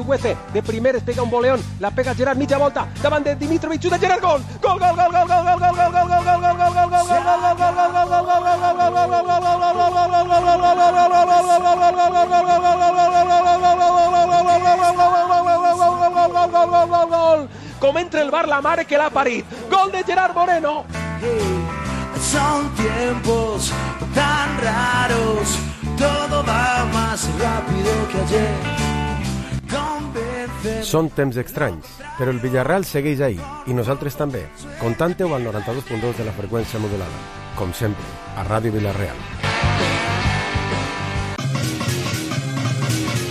Sigüece, de primeres pega un voleón, la pega Gerard, mitja volta, davant de Dimitrovic, xuta Gerard, gol! Gol, gol, gol, gol, gol, gol, gol, gol, gol, gol, gol, gol, gol, gol, com entra el bar la mare que l'ha parit. Gol de Gerard Moreno. Son tiempos tan raros, todo va más rápido que ayer. Són temps estranys, però el Villarreal segueix ahí, i nosaltres també. Contante-ho al 92.2 de la freqüència modulada. Com sempre, a Ràdio Villarreal.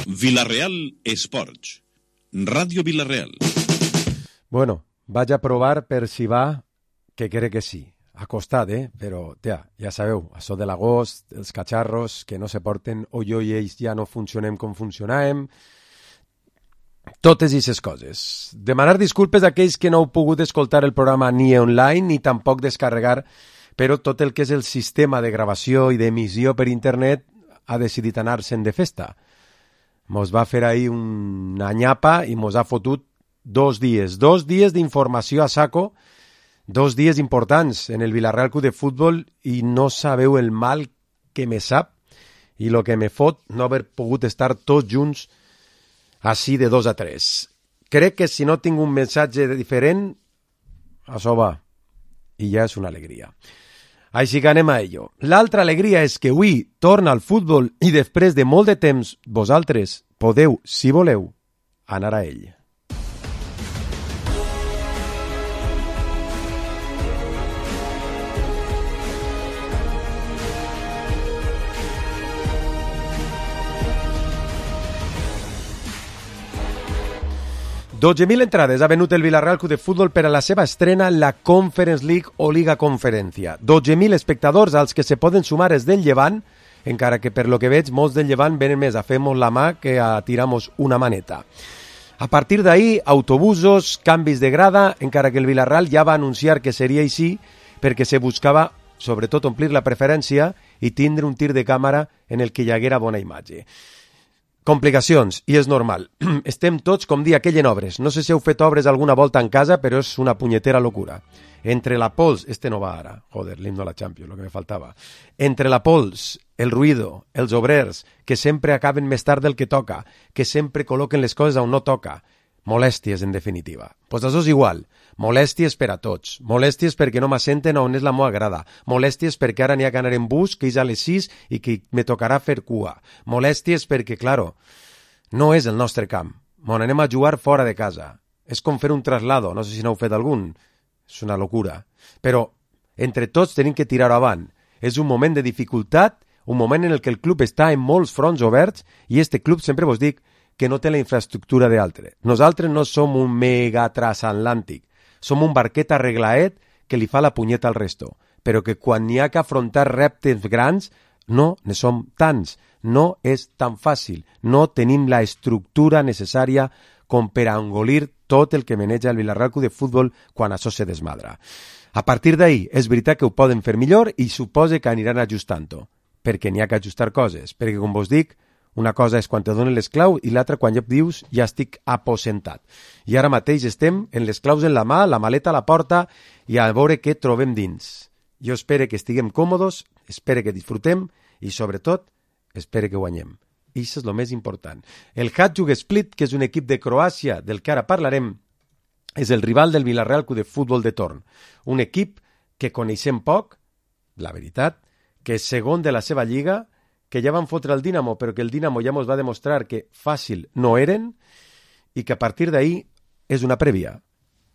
Villarreal Esports. Ràdio Villarreal. Bueno, vaig a provar per si va, que crec que sí. Ha costat, però, ja sabeu, això de l'agost, els catxarros que no se porten, o jo i ells ja no funcionem com funcionàvem, totes aquestes coses. Demanar disculpes a aquells que no heu pogut escoltar el programa ni online ni tampoc descarregar, però tot el que és el sistema de gravació i d'emissió per internet ha decidit anar-se'n de festa. Mos va fer ahir una nyapa i mos ha fotut 2 dies d'informació a saco, 2 dies importants en el Villarreal Club de Futbol i no sabeu el mal que me sap i el que me fot no haver pogut estar tots junts així de 2 a 3. Crec que si no tinc un missatge diferent, això va, i ja és una alegria. Així que anem a ello. L'altra alegria és que avui torna al futbol i després de molt de temps vosaltres podeu, si voleu, anar a ell. $12.000 entrades ha venut el Villarreal Club de Futbol per a la seva estrena en la Conference League o Liga Conferència. 12.000 espectadors als que se poden sumar els del Llevant, encara que per lo que veig molts del Llevant venen més a fer-nos la mà que a tirar-nos una maneta. A partir d'ahir, autobusos, canvis de grada, encara que el Villarreal ja va anunciar que seria així perquè se buscava sobretot omplir la preferència i tindre un tir de càmera en el que hi haguera bona imatge. Complicacions, i és normal. Estem tots, com dir aquell, en obres. No sé si heu fet obres alguna volta en casa, però és una punyetera locura. Entre la pols, no va ara, joder, l'himno a la Champions, lo que me faltava. Entre la pols, el ruïdo, els obrers, que sempre acaben més tard del que toca, que sempre col·loquen les coses on no toca. Molèsties, en definitiva. Pues això és igual. Molèsties per a tots. Molèsties perquè no m'assenten on és la meua grada. Molèsties perquè ara n'hi ha que anar en bus, que és a les 6 i que me tocarà fer cua. Molèsties perquè, claro, no és el nostre camp. Mon anem a jugar fora de casa. És com fer un traslado. No sé si n'heu fet algun. És una locura. Però entre tots tenim que tirar avant. És un moment de dificultat, un moment en el que el club està en molts fronts oberts i este club, sempre vos dic, que no té la infraestructura d'altre. Nosaltres no som un mega transatlàntic, som un barquet arreglaet que li fa la punyeta al resto, però que quan n'hi ha que afrontar reptes grans no ne som tants, no és tan fàcil, no tenim la estructura necessària com per a engolir tot el que maneja el Villarreal Club de Futbol quan això se desmadra. A partir d'ahir, és veritat que ho poden fer millor i suposa que aniran ajustant-ho, perquè n'hi ha que ajustar coses, perquè com vos dic, una cosa és quan te donen les claus i l'altra quan ja dius ja estic aposentat. I ara mateix estem en les claus en la mà, la maleta a la porta i a veure què trobem dins. Jo espero que estiguem còmodes, espero que disfrutem i sobretot espero que guanyem. I això és el més important. El Hajduk Split, que és un equip de Croàcia del que ara parlarem, és el rival del Villarreal Club de Futbol de torn. Un equip que coneixem poc, la veritat, que és segon de la seva lliga, que ja van fotre el Dinamo, però que el Dinamo ja ens va demostrar que fàcil no eren i que a partir d'ahir és una prèvia.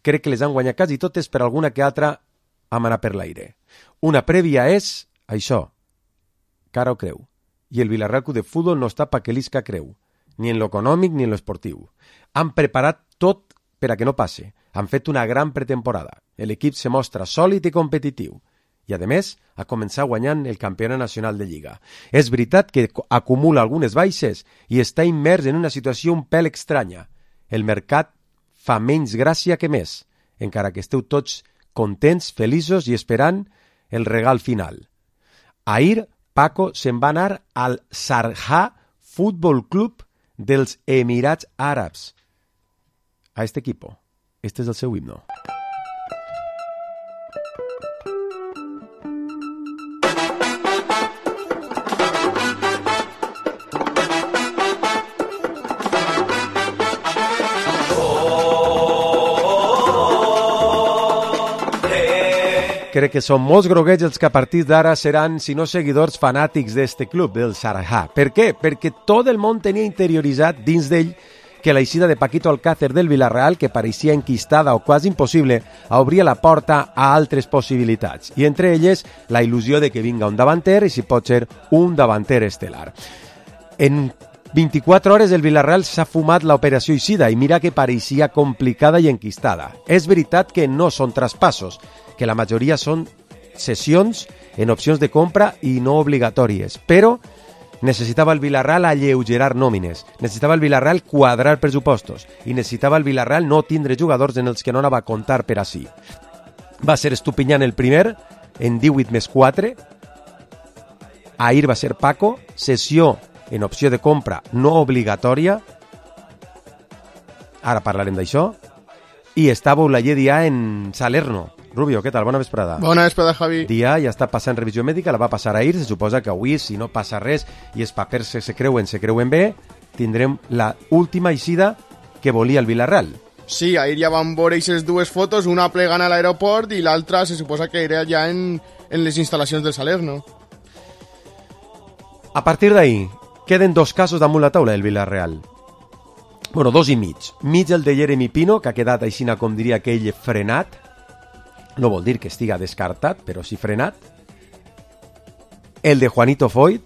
Crec que les han guanyat quasi totes, per alguna que altra hem anat per l'aire. Una prèvia és això, cara o creu. I el Villarreal Club de Futbol no està pa que l'isca creu, ni en lo econòmic ni en lo esportiu. Han preparat tot per a que no passe. Han fet una gran pretemporada. L'equip se mostra sòlid i competitiu. I, a més, ha començat guanyant el campionat nacional de Lliga. És veritat que acumula algunes baixes i està immers en una situació un pèl estranya. El mercat fa menys gràcia que més, encara que esteu tots contents, feliços i esperant el regal final. Ahir, Paco se'n va anar al Sarja Futbol Club dels Emirats Àrabs a este equipo. Este és el seu himno. Crec que són molts groguets els que a partir d'ara seran, si no seguidors, fanàtics d'este club, del Sharjah. Per què? Perquè tot el món tenia interioritzat dins d'ell que l'eixida de Paquito Alcácer del Villarreal, que pareixia enquistada o quasi impossible, obria la porta a altres possibilitats. I entre elles, la il·lusió de que vinga un davanter i si pot ser un davanter estel·lar. En 24 hores el Villarreal s'ha fumat l'operació eixida i mira que pareixia complicada i enquistada. És veritat que no són traspassos, que la majoria són cessions en opcions de compra i no obligatòries, però necessitava el Villarreal alleugerar nòmines, necessitava el Villarreal quadrar pressupostos i necessitava el Villarreal no tindre jugadors en els que no anava a comptar per així. Va ser Estupiñán el primer, en 18+4, ahir va ser Paco, cessió en opció de compra no obligatòria, ara parlarem d'això, i estava Oulaye Dia en Salerno. Rubio, què tal? Bona vesprada. Bona vesprada, Javi. Dia ja està passant revisió mèdica, la va passar ahir, se suposa que avui, si no passa res i els papers se creuen bé, tindrem la última eixida que volia el Villarreal. Sí, ahir ja van veure aquestes dues fotos, una plegant a l'aeroport i l'altra se suposa que era ja en les instal·lacions del Salerno. A partir d'ahir, queden dos casos damunt la taula del Villarreal. Bueno, dos i mig. Mig el de Jeremy Pino, que ha quedat aixina, com diria aquell, frenat. No vol dir que estiga descartat, però sí frenat. El de Juanito Foyt,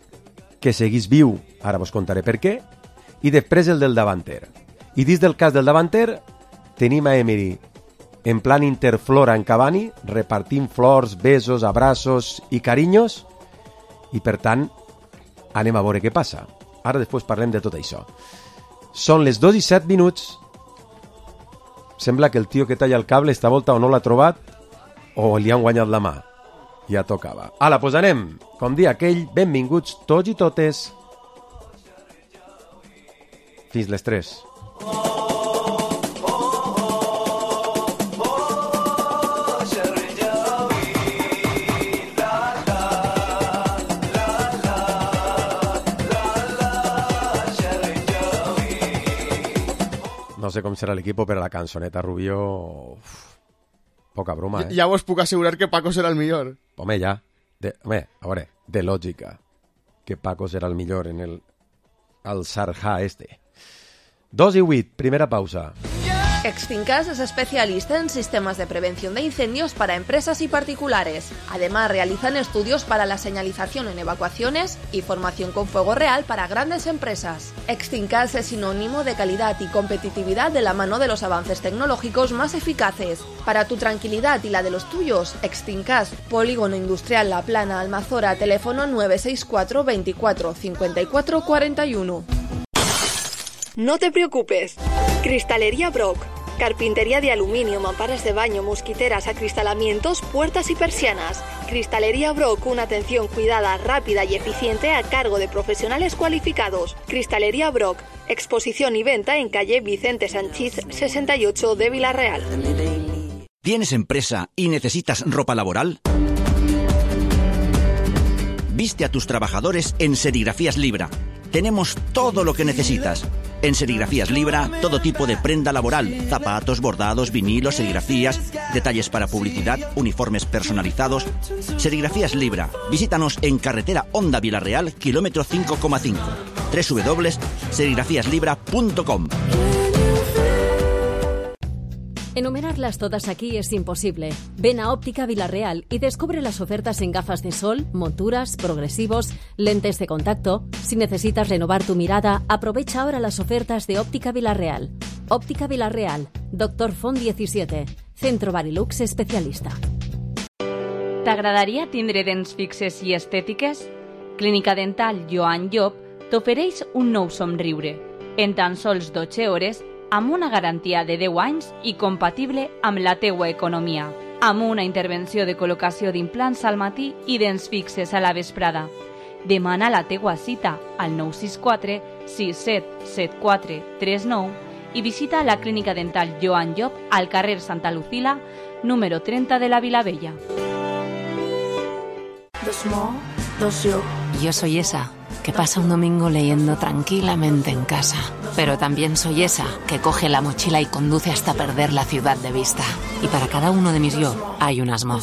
que seguís viu, ara vos contaré per què. I després el del davanter. I dins del cas del davanter, tenim a Emery en plan interflora en Cavani, repartint flors, besos, abraços i carinyos. I per tant, anem a veure què passa. Ara després parlem de tot això. Són les 2:07. Sembla que el tio que talla el cable esta volta o no l'ha trobat o li han guanyat la mà. Ja tocava. Ala, doncs anem. Com dia aquell, benvinguts tots i totes. Fins les 3. No sé com serà l'equip, però la cançoneta Rubio... Poca broma, eh? Ja vos puc assegurar que Paco serà el millor. Home, ja. A veure, de lògica. Que Paco serà el millor en el Sharjah este. 2:08, primera pausa. Extinkas es especialista en sistemas de prevención de incendios para empresas y particulares. Además, realizan estudios para la señalización en evacuaciones y formación con fuego real para grandes empresas. Extinkas es sinónimo de calidad y competitividad de la mano de los avances tecnológicos más eficaces. Para tu tranquilidad y la de los tuyos, Extinkas, Polígono Industrial La Plana, Almazora, teléfono 964 24 54 41. No te preocupes. Cristalería Brock. Carpintería de aluminio, mamparas de baño, mosquiteras, acristalamientos, puertas y persianas. Cristalería Brock, una atención cuidada, rápida y eficiente a cargo de profesionales cualificados. Cristalería Brock, exposición y venta en calle Vicente Sanchís 68 de Villarreal. ¿Tienes empresa y necesitas ropa laboral? Viste a tus trabajadores en Serigrafías Libra. Tenemos todo lo que necesitas. En Serigrafías Libra, todo tipo de prenda laboral, zapatos, bordados, vinilos, serigrafías, detalles para publicidad, uniformes personalizados. Serigrafías Libra. Visítanos en carretera Honda Villarreal, kilómetro 5,5. www.serigrafíaslibra.com. Enumerarlas todas aquí es imposible. Ven a Óptica Villarreal y descubre las ofertas en gafas de sol, monturas, progresivos, lentes de contacto. Si necesitas renovar tu mirada, aprovecha ahora las ofertas de Óptica Villarreal. Óptica Villarreal, Dr. Font 17, Centro Barilux especialista. T'agradaria tindre dents fixes i estètiques? Clínica Dental Joan Llop t'ofereix un nou somriure. En tan sols 12 hores, amb una garantia de 10 anys i compatible amb la teua economia. Amb una intervenció de col·locació d'implants al matí i dents fixes a la vesprada. Demana la teua cita al 964 677439 i visita la Clínica Dental Joan Llop al carrer Santa Lucila, número 30 de la Vilavella. Yo soy esa que pasa un domingo leyendo tranquilamente en casa. Pero también soy esa que coge la mochila y conduce hasta perder la ciudad de vista. Y para cada uno de mis yo hay un asmo.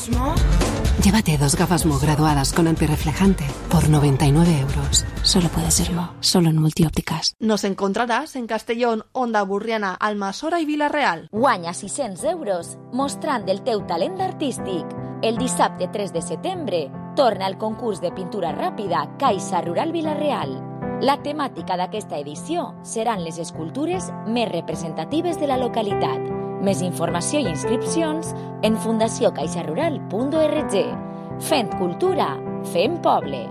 Llévate 2 gafas Mo graduadas con antirreflejante por 99 euros. Solo puede serlo, solo en Multiópticas. Nos encontraràs en Castellón, Onda Burriana, Almassora i Vila-real. Guanya 600 euros mostrant el teu talent artístic. El dissabte 3 de setembre torna el concurs de pintura ràpida Caixa Rural Vila-real. La temàtica d'aquesta edició seran les escultures més representatives de la localitat. Més informació i inscripcions en fundaciocaixarural.org. Fent cultura, fent poble.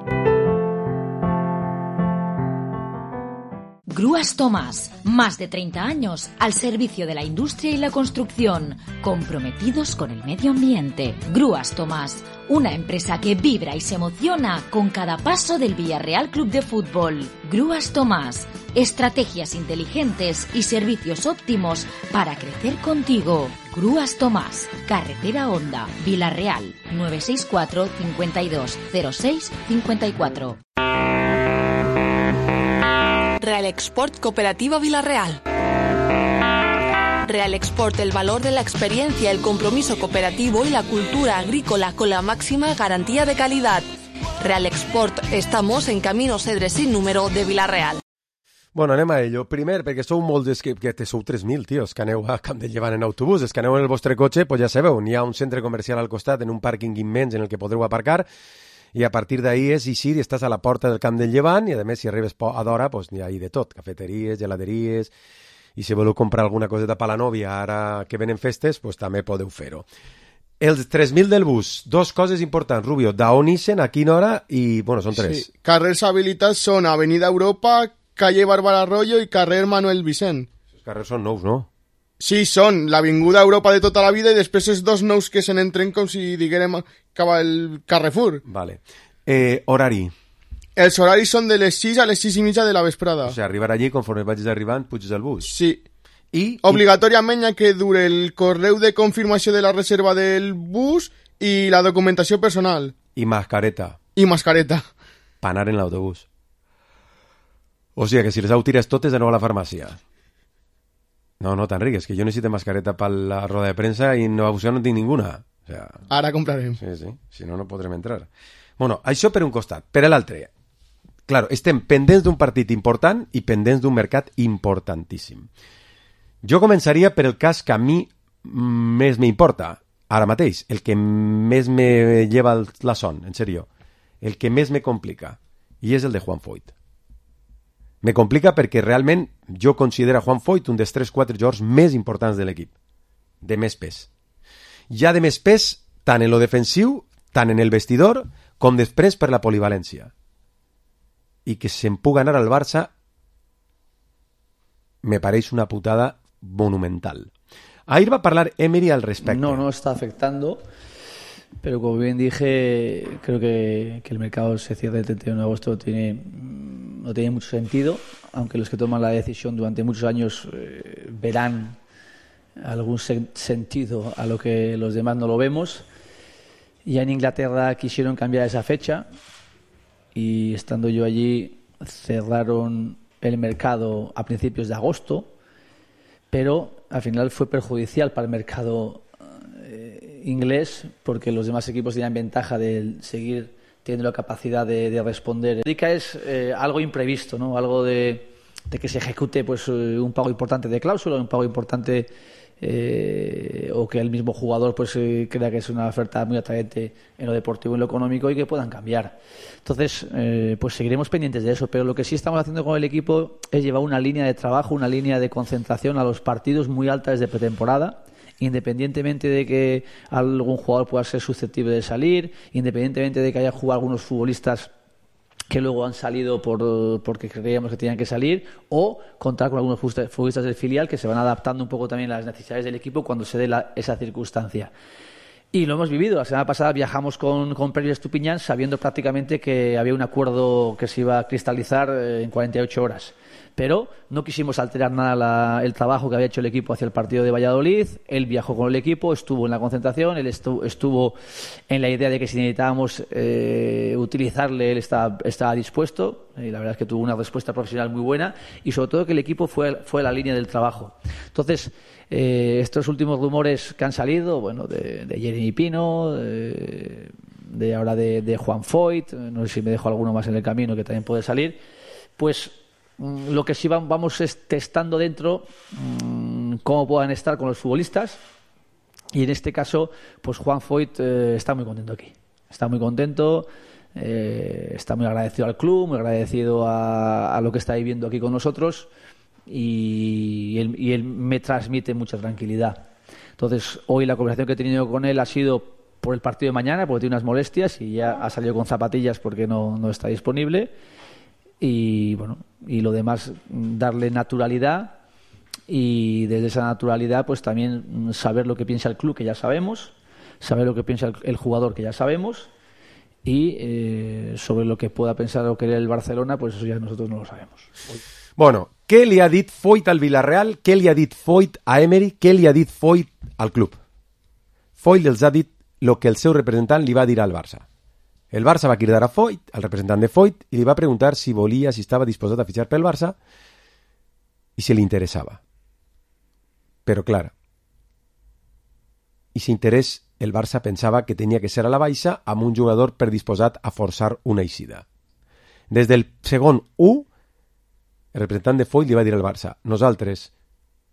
Grúas Tomás, más de 30 años al servicio de la industria y la construcción, comprometidos con el medio ambiente. Grúas Tomás, una empresa que vibra y se emociona con cada paso del Villarreal Club de Fútbol. Grúas Tomás, estrategias inteligentes y servicios óptimos para crecer contigo. Grúas Tomás, Carretera Honda, Vila-real, 964 52 06 54. Real Export Cooperativa Vila-real. Real Export, el valor de la experiencia, el compromiso cooperativo y la cultura agrícola con la máxima garantía de calidad. Real Export, estamos en Camino Cedre sin número de Vila-real. Bueno, anem a ello. Primer, perquè sou molts que sou 3.000, tios, que aneu a Camp del Llevant en autobús, que aneu en el vostre cotxe, pues ja sabeu, hi ha un centre comercial al costat, en un pàrquing immens en el que podreu aparcar, i a partir d'ahí és eixir i estàs a la porta del Camp del Llevant i a més si arribes a d'hora pues, hi ha de tot, cafeteries, geladeries i si voleu comprar alguna coseta per la nòvia ara que venen festes pues, també podeu fer-ho. Els 3.000 del bus, 2 coses importants, Rubio, d'on ixen, a quina hora i, bueno, són 3. Sí. Carrers habilitats són Avenida Europa, calle Bárbara Arroyo i carrer Manuel Vicent. Els carrers són nous, no? Sí, són l'Avinguda Europa de tota la vida i després els 2 nous que se n'entren com si diguérem acaba el Carrefour. Vale. Horari. Els horaris són de les 6 a les 6 i mitja de la vesprada. O sigui, arribar allí, conforme vagis arribant, puges al bus. Sí. Obligatòriament hi que dure el correu de confirmació de la reserva del bus i la documentació personal. I mascareta. I mascareta. Per anar en l'autobús. O sigui, que si les heu tires totes de nou a la farmàcia. No, t'enriques, que jo necessito mascareta per la roda de premsa i no tinc ninguna. O sea, ara comprarem. Sí, si no, no podrem entrar. Bueno, això per un costat. Per l'altre, claro, estem pendents d'un partit important i pendents d'un mercat importantíssim. Jo començaria per el cas que a mi més m'importa, ara mateix, el que més me lleva la son, en sèrio, el que més me complica, i és el de Juan Foyth. Me complica perquè realment jo considero Juan Foyth un dels 3-4 jugadors més importants de l'equip, de més pes. Ja de més pes tant en lo defensiu, tant en el vestidor, com després per la polivalència. I que se'n pugui anar al Barça me pareix una putada monumental. Ahir va parlar Emery al respecte. No está afectando, pero como bien dije, creo que el mercado se cierra el 31 de agosto no tiene mucho sentido, aunque los que toman la decisión durante muchos años verán algún sentido a lo que los demás no lo vemos. Ya en Inglaterra quisieron cambiar esa fecha y estando yo allí cerraron el mercado a principios de agosto, pero al final fue perjudicial para el mercado inglés porque los demás equipos tenían ventaja de seguir teniendo la capacidad de responder. Es algo imprevisto, ¿no? Algo de que se ejecute pues un pago importante de cláusula, un pago importante o que el mismo jugador pues crea que es una oferta muy atrayente en lo deportivo y en lo económico y que puedan cambiar. Entonces, pues seguiremos pendientes de eso, pero lo que sí estamos haciendo con el equipo es llevar una línea de trabajo, una línea de concentración a los partidos muy alta desde pretemporada, independientemente de que algún jugador pueda ser susceptible de salir, independientemente de que haya jugado algunos futbolistas que luego han salido porque creíamos que tenían que salir, o contar con algunos futbolistas del filial que se van adaptando un poco también a las necesidades del equipo cuando se dé esa circunstancia. Y lo hemos vivido. La semana pasada viajamos con Pérez Estupiñán sabiendo prácticamente que había un acuerdo que se iba a cristalizar en 48 horas. Pero no quisimos alterar nada el trabajo que había hecho el equipo hacia el partido de Valladolid. Él viajó con el equipo, estuvo en la concentración, él estuvo en la idea de que si necesitábamos utilizarle, él estaba dispuesto, y la verdad es que tuvo una respuesta profesional muy buena, y sobre todo que el equipo fue la línea del trabajo. Entonces, estos últimos rumores que han salido, bueno, de Jeremy Pino, de ahora de Juan Foyt, no sé si me dejo alguno más en el camino que también puede salir, pues lo que sí vamos es testando dentro cómo puedan estar con los futbolistas, y en este caso pues Juan Foyt está muy contento aquí, está muy contento, está muy agradecido al club, muy agradecido a lo que está viviendo aquí con nosotros, y él me transmite mucha tranquilidad. Entonces hoy la conversación que he tenido con él ha sido por el partido de mañana, porque tiene unas molestias y ya ha salido con zapatillas porque no está disponible. Y bueno, y lo demás, darle naturalidad, y desde esa naturalidad pues también saber lo que piensa el club, que ya sabemos, saber lo que piensa el jugador, que ya sabemos, y sobre lo que pueda pensar o querer el Barcelona, pues eso ya nosotros no lo sabemos. Bueno, què li ha dit Foyt al Villarreal, què li ha dit Foyt a Emery, què li ha dit Foyt al club? Foyt els ha dit el que el seu representant li va dir al Barça. El Barça va cridar a Foyt, al representant de Foyt, i li va preguntar si volia, si estava disposat a fitxar pel Barça i si li interessava. Però, clar, i si interès, el Barça pensava que tenia que ser a la baixa amb un jugador predisposat a forçar una eixida. Des del segon 1, el representant de Foyt li va dir al Barça: nosaltres,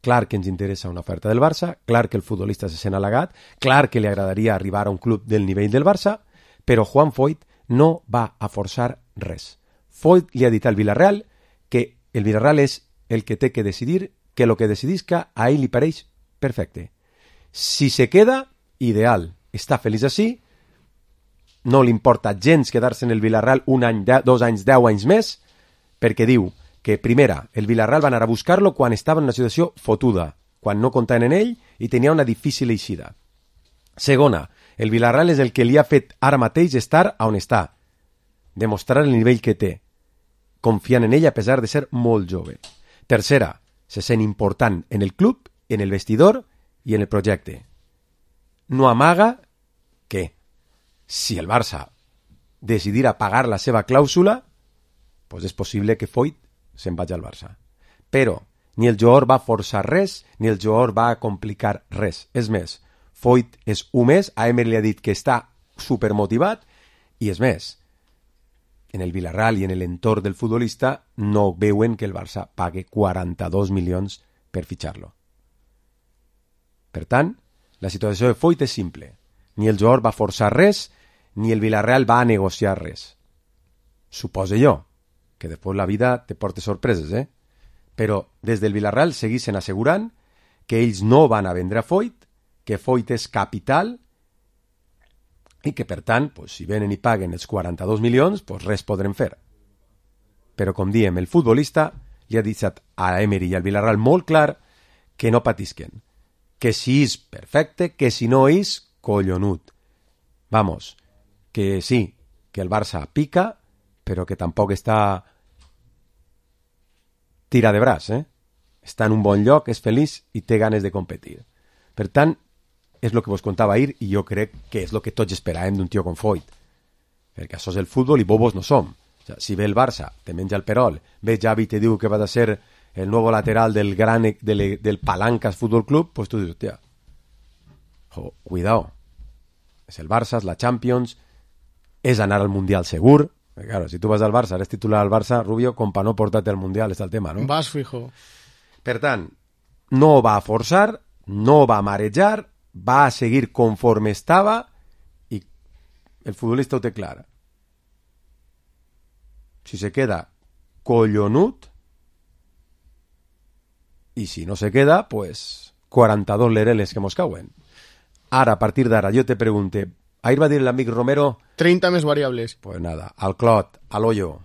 clar que ens interessa una oferta del Barça, clar que el futbolista se sent halagat, clar que li agradaria arribar a un club del nivell del Barça, però Juan Foyt no va a forçar res. Foyt li ha dit al Villarreal que el Villarreal és el que té que decidir, que el que decidisca a ell li pareix perfecte. Si se queda, ideal, està feliç així, no li importa gens quedar-se en el Villarreal un any, 2 anys, 10 anys més, perquè diu que, primera, el Villarreal va anar a buscar-lo quan estava en una situació fotuda, quan no comptaven en ell i tenia una difícil eixida. Segona, el Villarreal és el que li ha fet ara mateix estar on està, demostrar el nivell que té, confiant en ell a pesar de ser molt jove. Tercera, se sent important en el club, en el vestidor i en el projecte. No amaga que, si el Barça decidirà pagar la seva clàusula, pues és possible que Foyt se'n vagi al Barça. Però ni el jugador va forçar res, ni el jugador va complicar res. És més, Foyt és un més, a Emery li ha dit que està supermotivat, i és més, en el Villarreal i en l'entorn del futbolista no veuen que el Barça pague 42 milions per fitxar-lo. Per tant, la situació de Foyt és simple. Ni el jugador va forçar res, ni el Villarreal va negociar res. Suposo jo, que després la vida te porta sorpreses, Però des del Villarreal seguissin assegurant que ells no van a vendre a Foyt, que Foyt és capital i que, per tant, pues, si venen i paguen els 42 milions, pues res podrem fer. Però, com diem, el futbolista li ha dit a Emery i al Villarreal molt clar que no patisquen, que si és perfecte, que si no és collonut. Vamos, que sí, que el Barça pica, però que tampoc està tira de braç, Està en un bon lloc, és feliç i té ganes de competir. Per tant, és el que vos contava ahir i jo crec que és el que tots esperàvem d'un tio com Foyt. Perquè això és el futbol i bobos no som. O sea, si ve el Barça, te menja el perol, ve Xavi i te diu que va a ser el nuevo lateral del Palancas Fútbol Club, pues tu dius, hòstia, cuidao. És el Barça, és la Champions, és anar al Mundial segur. Claro, si tu vas al Barça, eres titular al Barça, Rubio, com pa no portar-te al Mundial, està el tema, no? Vas fijo. Per tant, no va a forçar, no va a marejar, va a seguir conforme estava i el futbolista ho té clar. Si se queda collonut i si no se queda, pues 42 lereles que mos cauen. Ara, a partir d'ara, jo te pregunte, ahir va dir l'amic Romero... 30 més variables. Pues nada, al clot, al hoyo.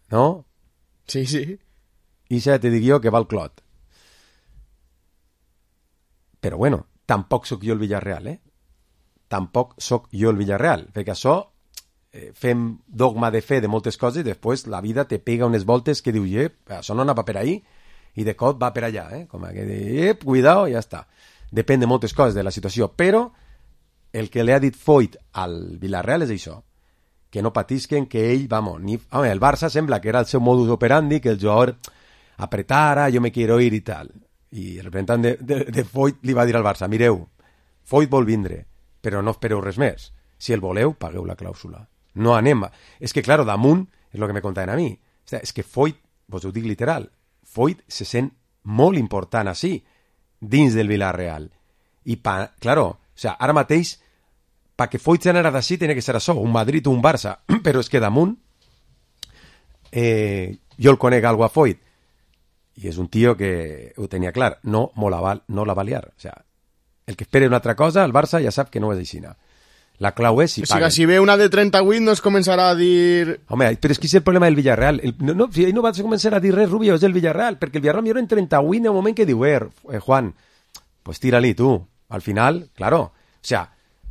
¿No? Sí, sí. I ja te dic jo que va al clot. Però bueno, tampoc sóc jo el Villarreal, Tampoc sóc jo el Villarreal, perquè això fem dogma de fe de moltes coses i després la vida te pega unes voltes que dius, això no anava per ahí, i de cop va per allà, com que cuidao, ja està. Depèn de moltes coses de la situació, però el que li ha dit Foyt al Villarreal és això, que no patisquen, que ell, el Barça sembla que era el seu modus operandi, que el jugador apretara, jo me quiero ir i tal. I el representant de Foyt li va dir al Barça, mireu, Foyt vol vindre, però no espereu res més. Si el voleu, pagueu la clàusula. No anem. És que, claro, damunt, és el que me contaven a mi. És que Foyt, vos ho dic literal, Foyt se sent molt important així, dins del Villarreal. I, claro, ara mateix, perquè Foyt s'anara d'ací, tenia que ser això, un Madrid o un Barça, però és que damunt, jo el conec algo a Foyt, i és un tio que ho tenia clar, no la va liar. O sea, el que espera una altra cosa, el Barça ja sap que no és aixina. La clau és si paguen. O sigui, si ve una de 38 no es començarà a dir... Home, però és que és el problema del Villarreal. Si ell no va començar a dir res, Rubio, és el Villarreal, perquè el Villarreal millor en 38 en un moment que diu, Juan, pues tira-li tu. Al final, claro, o sea,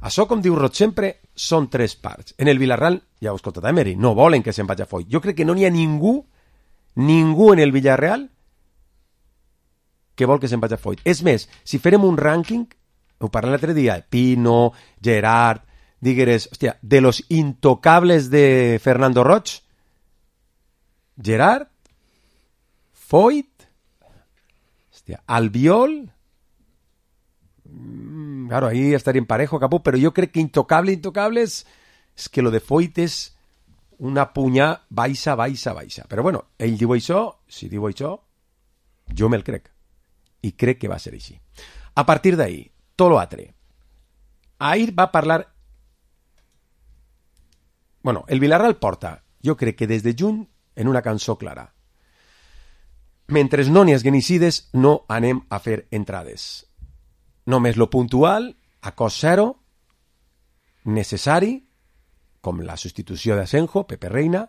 això, com diu Roig sempre, són tres parts. En el Villarreal, ja ho he escoltat a Emery, no volen que se'n vagi a Foyt. Jo crec que no n'hi ha ningú en el Villarreal que vol que se'n vagi a Foyt. És més, si farem un rànquing, ho parlem l'altre dia, Pino, Gerard, digueres, hòstia, de los intocables de Fernando Roig, Gerard, Foyt, hòstia, Albiol, claro, ahí estaríem parejo, capó, però jo crec que intocables, és que lo de Foyt és una punyà baixa. Però bueno, ell diu això, si diu això, jo me'l crec. I crec que va ser així. A partir d'ahir, tot l'altre. Ahir va parlar... Bueno, el Villarreal porta, jo crec que des de juny, en una cançó clara. Mentre no n'hi hagi genicides, no anem a fer entrades. Només lo puntual, a cost zero, necessari, com la substitució d'Asenjo, Pepe Reina.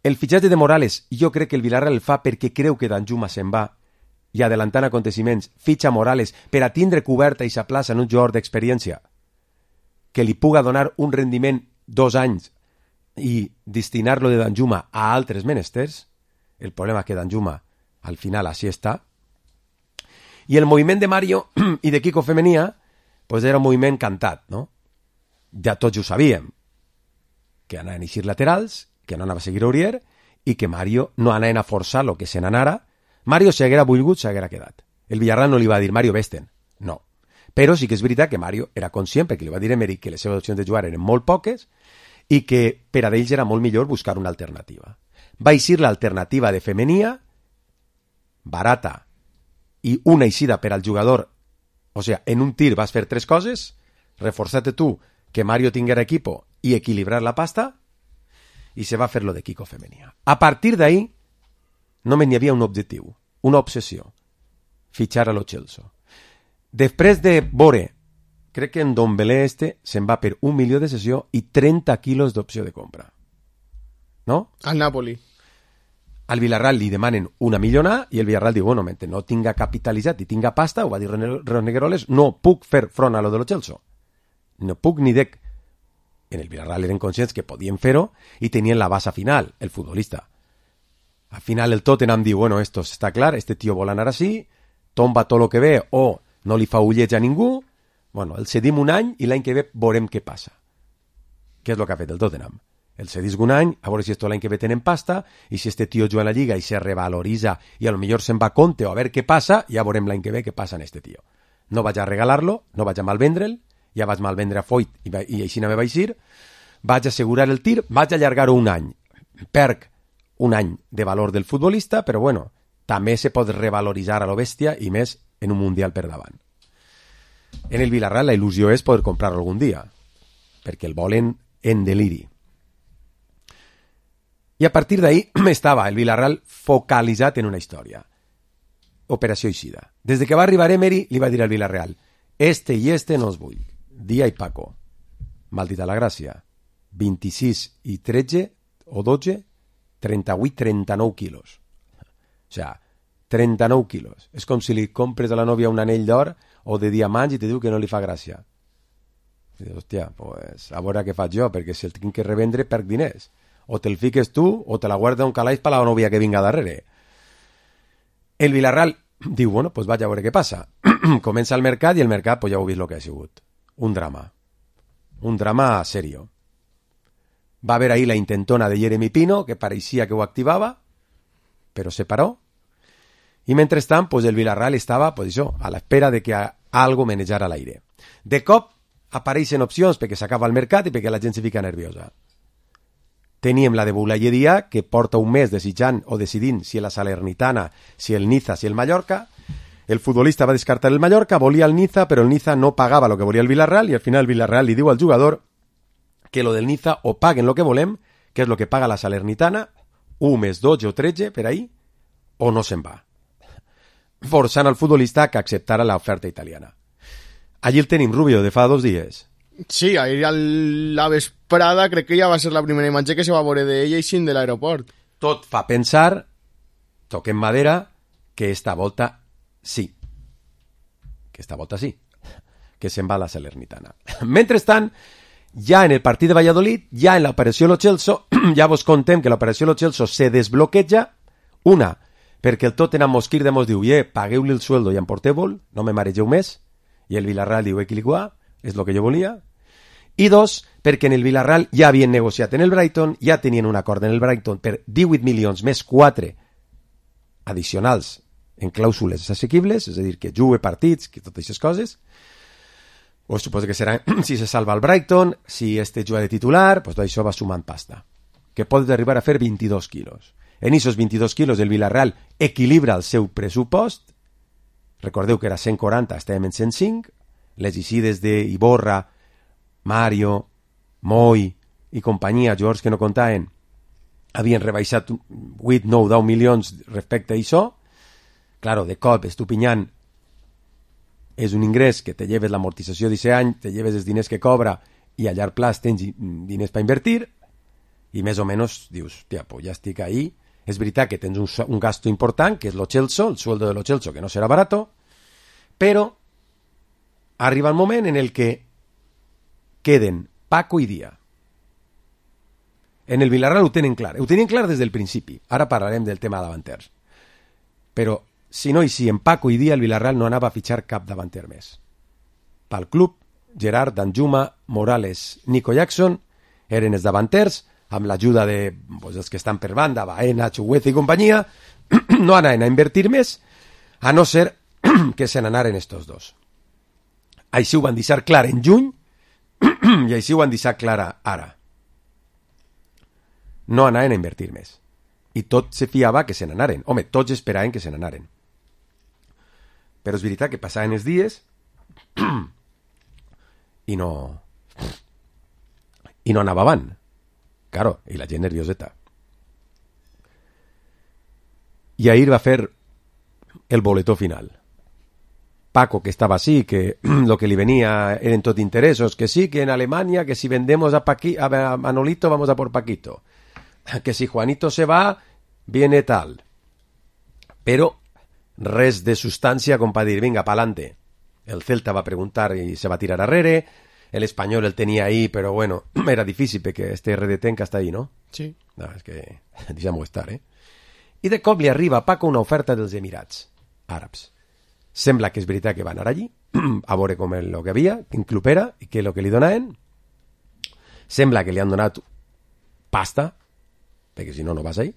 El fitxatge de Morales, jo crec que el Villarreal el fa perquè creu que Danjuma se'n va i adelantant aconteciments, fitxa Morales per a tindre coberta i s'aplaça en un jugador d'experiència que li puga donar un rendiment 2 anys i destinar-lo de Danjuma a altres menesters. El problema és que Danjuma al final així està. I el moviment de Mario i de Kiko Femenia pues era un moviment cantat, no? Ja tots ho sabíem, que anaven a eixir laterals, que no anava a seguir Aurier i que Mario no anaven a forçar lo que se n'anara. Mario, si haguera volgut, s'haguera quedat. El Villarreal no li va dir, Mario, vés-te'n. No. Però sí que és veritat que Mario era conscient, perquè li va dir a Emery que les seves opcions de jugar eren molt poques i que per a ells era molt millor buscar una alternativa. Va eixir l'alternativa de Femenia, barata, i una eixida per al jugador. O sigui, en un tir vas fer 3 coses, reforçar-te tu, que Mario tinguera equipo i equilibrar la pasta, i se va fer lo de Kiko Femenia. A partir d'ahí, només n'hi havia un objectiu, una obsessió, fitxar a lo Chelsea. Després de veure, crec que en Dombele se'n va per 1 milió de sessió i 30 quilos d'opció de compra. No? Al Napoli. Al Villarreal li demanen 1 milió i el Villarreal diu, bueno, mentre no tinga capitalitzat i tinga pasta, ho va dir Ronegueroles, no puc fer front a lo de lo Chelsea. No puc ni dec. En el Villarreal eren conscients que podien fer-ho i tenien la base final, el futbolista. Al final el Tottenham diu, bueno, esto està clar, este tío vol anar així, tomba tot lo que ve o no li fa ulleig a ningú, bueno, el cedim un any i l'any que ve veurem què passa. Què és el que ha fet el Tottenham? El cedisc un any, a veure si esto l'any que ve tenen pasta, i si este tío juga a la Lliga i se revaloritza i a lo millor se'n va a Conte o a veure què passa, ja veurem l'any que ve què passa en este tío. No vaig a regalar-lo, no vaig a malvendre'l, ja vaig malvendre a Foyt i així no me vaig ir, vaig assegurar el tir, vaig allargar-ho un any. Perc un any de valor del futbolista, però bueno, també se pot revaloritzar a lo bèstia i més en un Mundial per davant. En el Villarreal la il·lusió és poder comprar-lo algun dia, perquè el volen en deliri. I a partir d'ahí estava el Villarreal focalitzat en una història. Operació eixida. Des que va arribar Emery li va dir al Villarreal, este i este no els vull. Dia i Paco. Maldita la gràcia. 26 i 13 o 12, 38, 39 quilos. O sea, 39 quilos. És com si li compres a la nòvia un anell d'or o de diamants i te diu que no li fa gràcia. I dius, hòstia, pues, a veure què faig jo, perquè si el tinc que revendre perc diners. O te'l fiques tu o te la guarda un calaix per la novia que vinga darrere. El Villarreal diu, bueno, pues vaig a veure què passa. Comença el mercat i el mercat, pues ja heu vist el que ha sigut. Un drama serio. Va haver ahir la intentona de Jeremy Pino, que pareixia que ho activava, però se paró. I mentrestant, pues el Villarreal estava, pues això, a l'espera de que algo menejara l'aire. De cop apareixen opcions perquè s'acaba el mercat i perquè la gent se fica nerviosa. Teníem la de Boulaye Dia, que porta un mes desitjant o decidint si la Salernitana, si el Niza, si el Mallorca. El futbolista va descartar el Mallorca, volia el Niza, però el Niza no pagava lo que volia el Villarreal i al final el Villarreal li diu al jugador que lo del Niza o paguen lo que volem, que és lo que paga la Salernitana, 1 més 12 o 13 per ahí, o no se'n va. Forçant al futbolista que acceptara l'oferta italiana. Allí el tenim, Rubio, de fa 2 dies. Sí, ahir a la vesprada crec que ja va ser la primera imatge que se va veure d'ella i sin de l'aeroport. Tot fa pensar, toquem madera, que esta volta sí. Que esta volta sí. Que se'n va la Salernitana. Mentrestant, ja en el partit de Valladolid, ja en l'operació Lo Celso, ja vos contem que l'operació Lo Celso se desbloqueja, una, perquè el Tottenham Mosquir de mos diu, pagueu-li el sueldo i emporteu-vol, no me maregeu més, i el Villarreal diu, equiligua, és el que jo volia, i 2, perquè en el Villarreal ja havien negociat en el Brighton, ja tenien un acord en el Brighton per 18 milions més 4 addicionals en clàusules assequibles, és a dir, que jugue partits, que totes aquestes coses, o suposo que serà si se salva el Brighton, si este juga de titular, pues tot això va sumant pasta, que pot arribar a fer 22 quilos. En aquests 22 quilos el Villarreal equilibra el seu pressupost, recordeu que era 140, estàvem en 105, les eixides d'Iborra, Mario, Moy i companyia, jugadors que no comptaven, havien rebaixat 8, 9, 10 milions respecte a això. Claro, de cop, Estupiñán és un ingrés que te lleves l'amortització d'aquest any, te lleves els diners que cobra i a llarg plaç tens diners per invertir i més o menys dius, tia, pues ja estic ahí. És veritat que tens un gasto important, que és Lo Celso, el sueldo de Lo Celso, que no serà barato, però arriba el moment en el que queden Paco i Dia. En el Villarreal ho tenien clar des del principi. Ara parlarem del tema davanters. Però si no en Paco i Dia, el Villarreal no anava a fitxar cap davanter més. Pel club, Gerard, Danjuma, Morales, Nico Jackson eren els davanters, amb l'ajuda de els que estan per banda, Baena, Chugueza i companyia, no anaven a invertir més, a no ser que se n'anaren estos dos. Així ho van deixar clar en juny i així ho han deixat clar ara. No anaven a invertir més. I tot se fiava que se n'anaren. Home, tots esperaven que se n'anaren. Però és veritat que passaven els dies i no anava avant. Claro, i la gent nervioseta. I ahir va fer el boletó final. Paco, que estaba así, que lo que le venía eran todos intereses, que sí, que en Alemania, que si vendemos a Manolito vamos a por Paquito, que si Juanito se va, viene tal. Pero res de sustancia com para dir, venga, pa'lante. El Celta va a preguntar y se va a tirar arrere, el Español el tenía ahí, pero bueno, era difícil porque este RDT hasta ahí, ¿no? Sí. No, és que deixem-ho estar, I de cop li arriba a Paco una oferta dels Emirats Àrabs. Sembla que és veritat que va anar allí a veure com el que havia, quin club era i què és el que li donaven. Sembla que li han donat pasta, perquè si no, no vas ahí.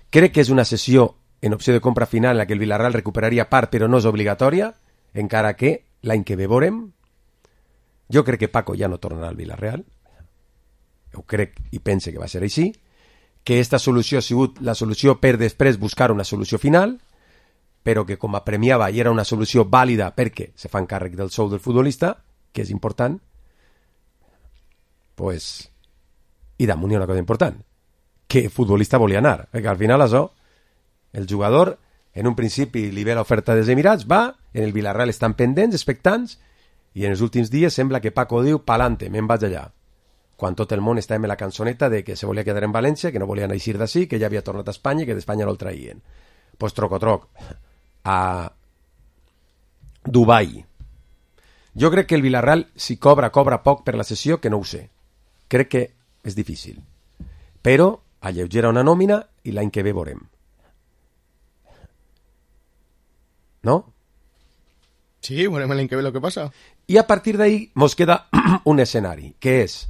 Crec que és una sessió en opció de compra final en la que el Villarreal recuperaria part, però no és obligatòria, encara que l'any que ve veurem. Jo crec que Paco ja no tornarà al Villarreal. Ho crec i pense que va ser així. Que aquesta solució ha sigut la solució per després buscar una solució final, però que com a premiava i era una solució vàlida perquè se fan càrrec del sou del futbolista, que és important, pues, i damunt hi ha una cosa important, que el futbolista volia anar, perquè al final això, el jugador, en un principi li ve l'oferta dels Emirats, va, en el Villarreal estan pendents, expectants, i en els últims dies sembla que Paco diu, pa'lante, me'n vaig allà. Quan tot el món estava en la cançoneta de que se volia quedar en València, que no volien eixir d'ací, que ja havia tornat a Espanya i que d'Espanya no el traïen. Pues troc, a Dubai. Jo crec que el Villarreal, si cobra poc per la sessió, que no ho sé. Crec que és difícil. Però alleugera una nòmina i l'any que ve veurem. ¿No? Sí, veurem l'any que ve lo que passa. I a partir d'ahí mos queda un escenari, que és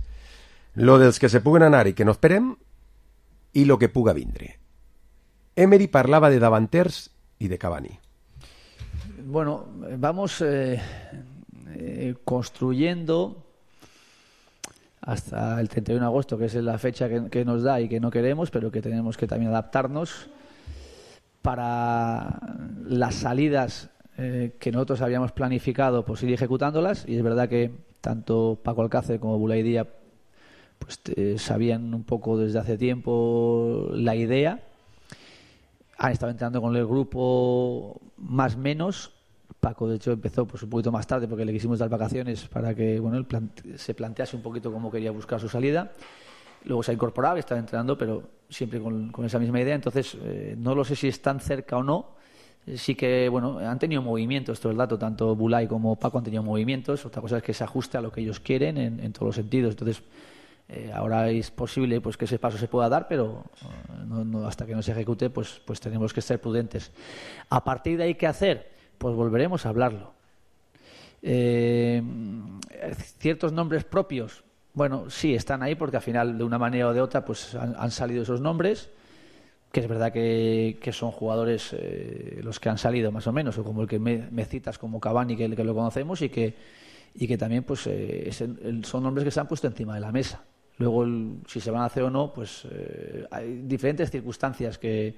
lo dels que se puguen anar i que no esperem i lo que puga vindre. Emery parlava de davanters y de Cavani. Bueno, vamos construyendo hasta el 31 de agosto, que es la fecha que nos da y que no queremos, pero que tenemos que también adaptarnos para las salidas que nosotros habíamos planificado, pues ir ejecutándolas. Y es verdad que tanto Paco Alcácer como Boulaye Díaz pues sabían un poco desde hace tiempo la idea. Han estado entrando con el grupo más menos. Paco, de hecho, empezó pues un poquito más tarde porque le quisimos dar vacaciones para que él se plantease un poquito cómo quería buscar su salida. Luego se ha incorporado y estaba entrenando, pero siempre con esa misma idea. Entonces, no lo sé si están cerca o no. Sí que, bueno, han tenido movimientos, esto es el dato. Tanto Boulaye como Paco han tenido movimientos. Otra cosa es que se ajuste a lo que ellos quieren en todos los sentidos. Entonces, ahora es posible pues que ese paso se pueda dar, pero no, hasta que no se ejecute pues tenemos que ser prudentes. A partir de ahí, ¿qué hacer? Pues volveremos a hablarlo. Ciertos nombres propios, bueno, sí, están ahí porque al final, de una manera o de otra, pues han salido esos nombres, que es verdad que son jugadores los que han salido más o menos, o como el que me citas como Cavani, que lo conocemos, y que también pues son nombres que se han puesto encima de la mesa. Luego, si se van a hacer o no, pues hay diferentes circunstancias que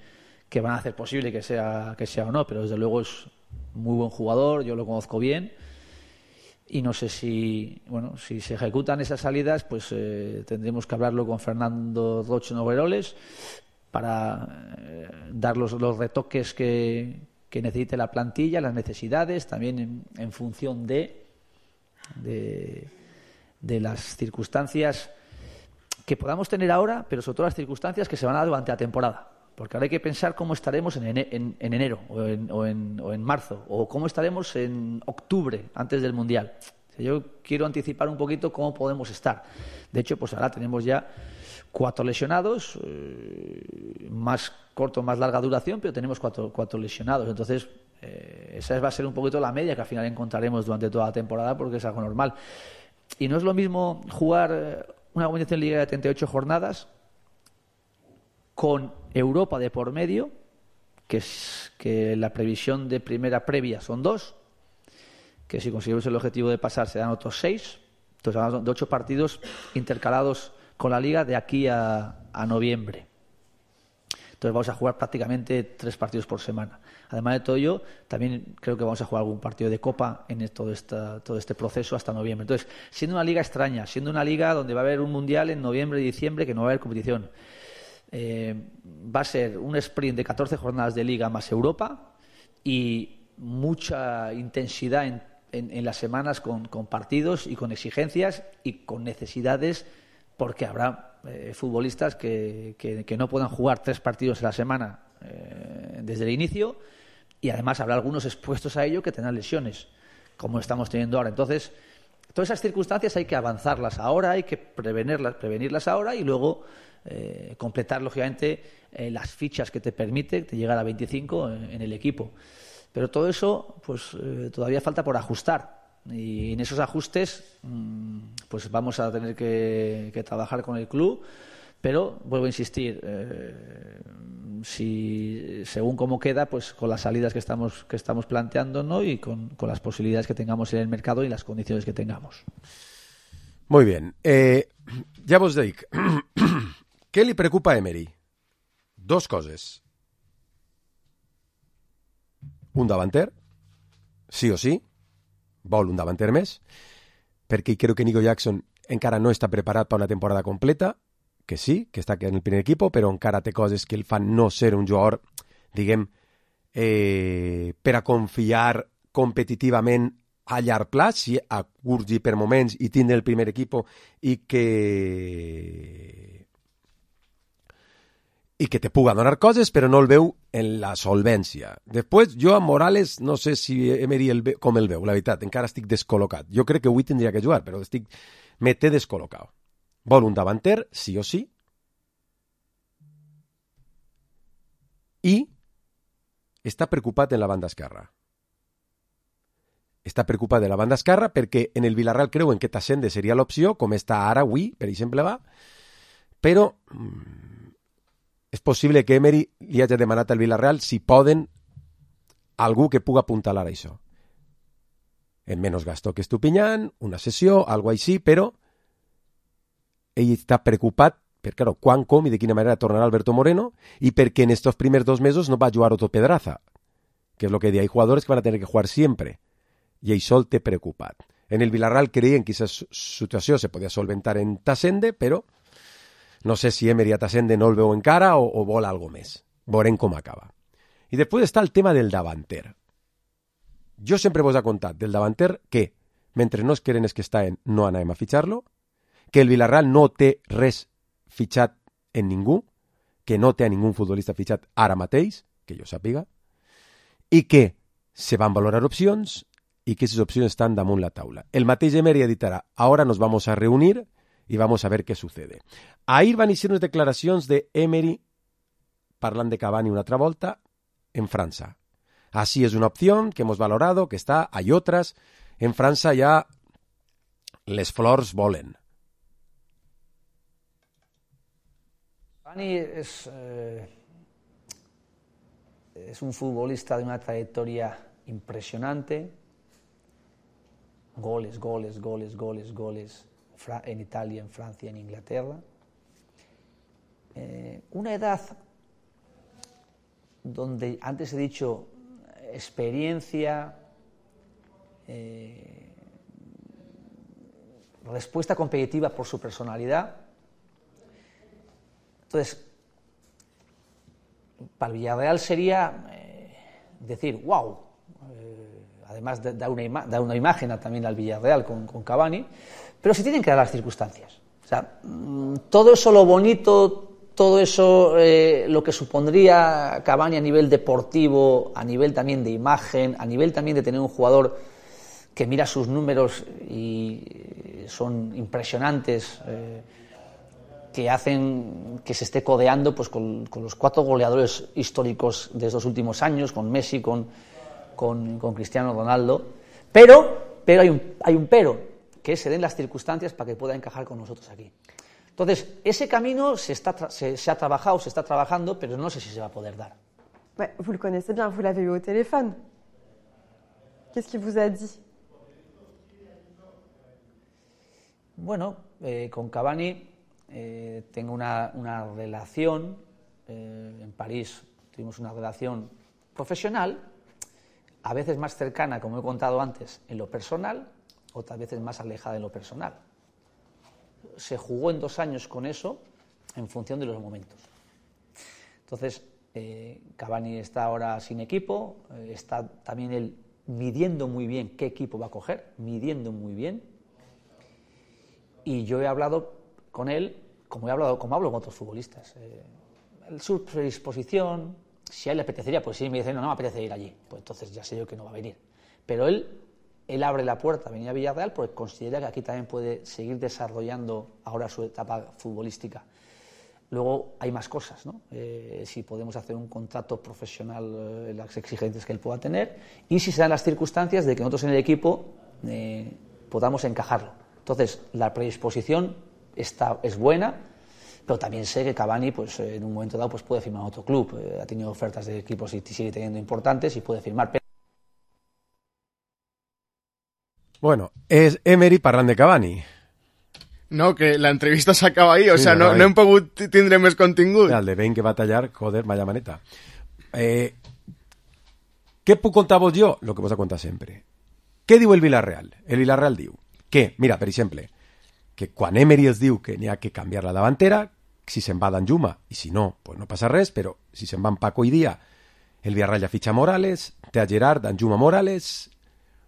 van a hacer posible que sea o no, pero desde luego es muy buen jugador, yo lo conozco bien, y no sé si se ejecutan esas salidas, pues tendremos que hablarlo con Fernando Roche Nogueroles para dar los retoques que necesite la plantilla, las necesidades, también en función de las circunstancias que podamos tener ahora, pero sobre todo las circunstancias que se van a dar durante la temporada. Porque ahora hay que pensar cómo estaremos en enero o en marzo, o cómo estaremos en octubre, antes del Mundial. O sea, yo quiero anticipar un poquito cómo podemos estar. De hecho, pues ahora tenemos ya 4 lesionados, más corto, más larga duración, pero tenemos 4 lesionados. Entonces, esa va a ser un poquito la media que al final encontraremos durante toda la temporada, porque es algo normal. Y no es lo mismo jugar una competición en Liga de 38 jornadas con Europa de por medio, que la previsión de primera previa son 2, que si conseguimos el objetivo de pasar serán otros 6. Entonces hablamos de 8 partidos intercalados con la Liga de aquí a noviembre. Entonces vamos a jugar prácticamente 3 partidos por semana. Además de todo ello, también creo que vamos a jugar algún partido de Copa en todo este proceso hasta noviembre. Entonces, siendo una liga extraña, siendo una liga donde va a haber un Mundial en noviembre y diciembre, que no va a haber competición, va a ser un sprint de 14 jornadas de Liga más Europa y mucha intensidad en las semanas con partidos y con exigencias y con necesidades, porque habrá futbolistas que no puedan jugar 3 partidos a la semana desde el inicio, y además habrá algunos expuestos a ello que tendrán lesiones, como estamos teniendo ahora. Entonces, todas esas circunstancias hay que avanzarlas ahora, hay que prevenirlas ahora, y luego completar, lógicamente, las fichas que te permite llegar a 25 en el equipo. Pero todo eso pues todavía falta por ajustar, y en esos ajustes pues vamos a tener que trabajar con el club. Pero vuelvo a insistir, si según cómo queda, pues con las salidas que estamos planteando, ¿no? Y con las posibilidades que tengamos en el mercado y las condiciones que tengamos. Muy bien. Ja vos dic, què li preocupa a Emery? 2 coses. Un davanter, sí o sí, vol un davanter més, perquè crec que Nico Jackson encara no està preparat per una temporada completa, que sí, que està en el primer equip, però encara té coses que el fan no ser un jugador, diguem, per a confiar competitivament a llarg plaç, si a curt i per moments, i tindre el primer equip i i que te puga donar coses, però no el veu en la solvència. Després, jo a Morales no sé si Emery com el veu, la veritat, encara estic descol·locat. Jo crec que avui tindria que jugar, però me té descol·locat. Vol un davanter, sí o sí, i està preocupat en la banda esquerra. Està preocupat de la banda esquerra perquè en el Villarreal creuen que Tassende seria l'opció, com està ara avui, per exemple, va, però és possible que Emery li hagi demanat al Villarreal si poden algú que puga apuntalar això. En menys gasto que Estupiñán, una sessió, algo així, però ell està preocupat per, claro, quan, com i de quina manera tornarà Alberto Moreno i perquè en estos primers 2 mesos no va jugar Otto Pedraza, que és lo que diu, hay jugadores que van a tener que jugar siempre, i això el té preocupat. En el Villarreal creien que aquesta situació se podia solventar en Tassende, però no sé si Emery a Tassende no el veu encara o vol algo més. Veurem com acaba. I després està el tema del davanter. Jo sempre vos he contat del davanter que, mentre no es queden els que estan, no anem a fitxar-lo, que el Villarreal no té res fitxat en ningú, que no té a ningú futbolista fitxat ara mateix, que jo sàpiga, i que se van valorar opcions i que aquestes opcions estan damunt la taula. El mateix Emery ha dit ara, ahora nos vamos a reunir y vamos a ver qué sucede. Ahir van ser unes declaracions de Emery parlant de Cavani una altra volta en França. Así es una opción que hemos valorado, que está, hay otras. En França ya les flors volen. Cavani es un futbolista de una trayectoria impresionante. Goles en Italia, en Francia, en Inglaterra. Una edad donde antes he dicho experiencia, respuesta competitiva por su personalidad. Entonces, para Villarreal sería decir, wow, además da una imagen también al Villarreal con Cavani, pero se tienen que dar las circunstancias. O sea, todo eso lo bonito, todo eso lo que supondría Cavani a nivel deportivo, a nivel también de imagen, a nivel también de tener un jugador que mira sus números y son impresionantes, que hacen que se esté codeando pues con los 4 goleadores históricos de estos últimos años, con Messi, con Cristiano Ronaldo, pero hay un pero, que se den las circunstancias para que pueda encajar con nosotros aquí. Entonces, ese camino se ha trabajado, se está trabajando, pero no sé si se va a poder dar. Ouais, vous le connaissez bien, vous l'avez eu au téléphone. Qu'est-ce qu'il vous a dit? Bueno, con Cavani tengo una relación, en París tuvimos una relación profesional, a veces más cercana, como he contado antes, en lo personal, otras veces más alejada en lo personal. Se jugó en 2 años con eso en función de los momentos. Entonces, Cavani está ahora sin equipo, está también él midiendo muy bien qué equipo va a coger, midiendo muy bien. Y yo he hablado con él, como hablo con otros futbolistas. Su predisposición, si a él le apetecería, pues sí, me dice, no me apetece ir allí, pues entonces ya sé yo que no va a venir. Pero él abre la puerta a venir a Villarreal porque considera que aquí también puede seguir desarrollando ahora su etapa futbolística. Luego hay más cosas, ¿no? Si podemos hacer un contrato profesional, las exigencias que él pueda tener, y si se dan las circunstancias de que nosotros en el equipo podamos encajarlo. Entonces, la predisposición es buena, pero también sé que Cavani, pues en un momento dado, pues puede firmar otro club. Ha tenido ofertas de equipos y sigue teniendo importantes y puede firmar. Bueno, és Emery parlant de Cavani. No, que la entrevista s'acaba ahí, o sí, sea, no hem pogut tindre més contingut. El de Ben que va tallar, joder, vaya maneta. Què puc contar-vos jo? Lo que vos ha contat sempre. Què diu el Villarreal? El Villarreal diu que, mira, per exemple, que quan Emery els diu que n'hi ha que canviar la davantera, si se'n va Danjuma, i si no, pues no passa res, però si se'n van Paco i Díaz, el Villarreal ja fitxa Morales, té a Gerard, Danjuma, Morales,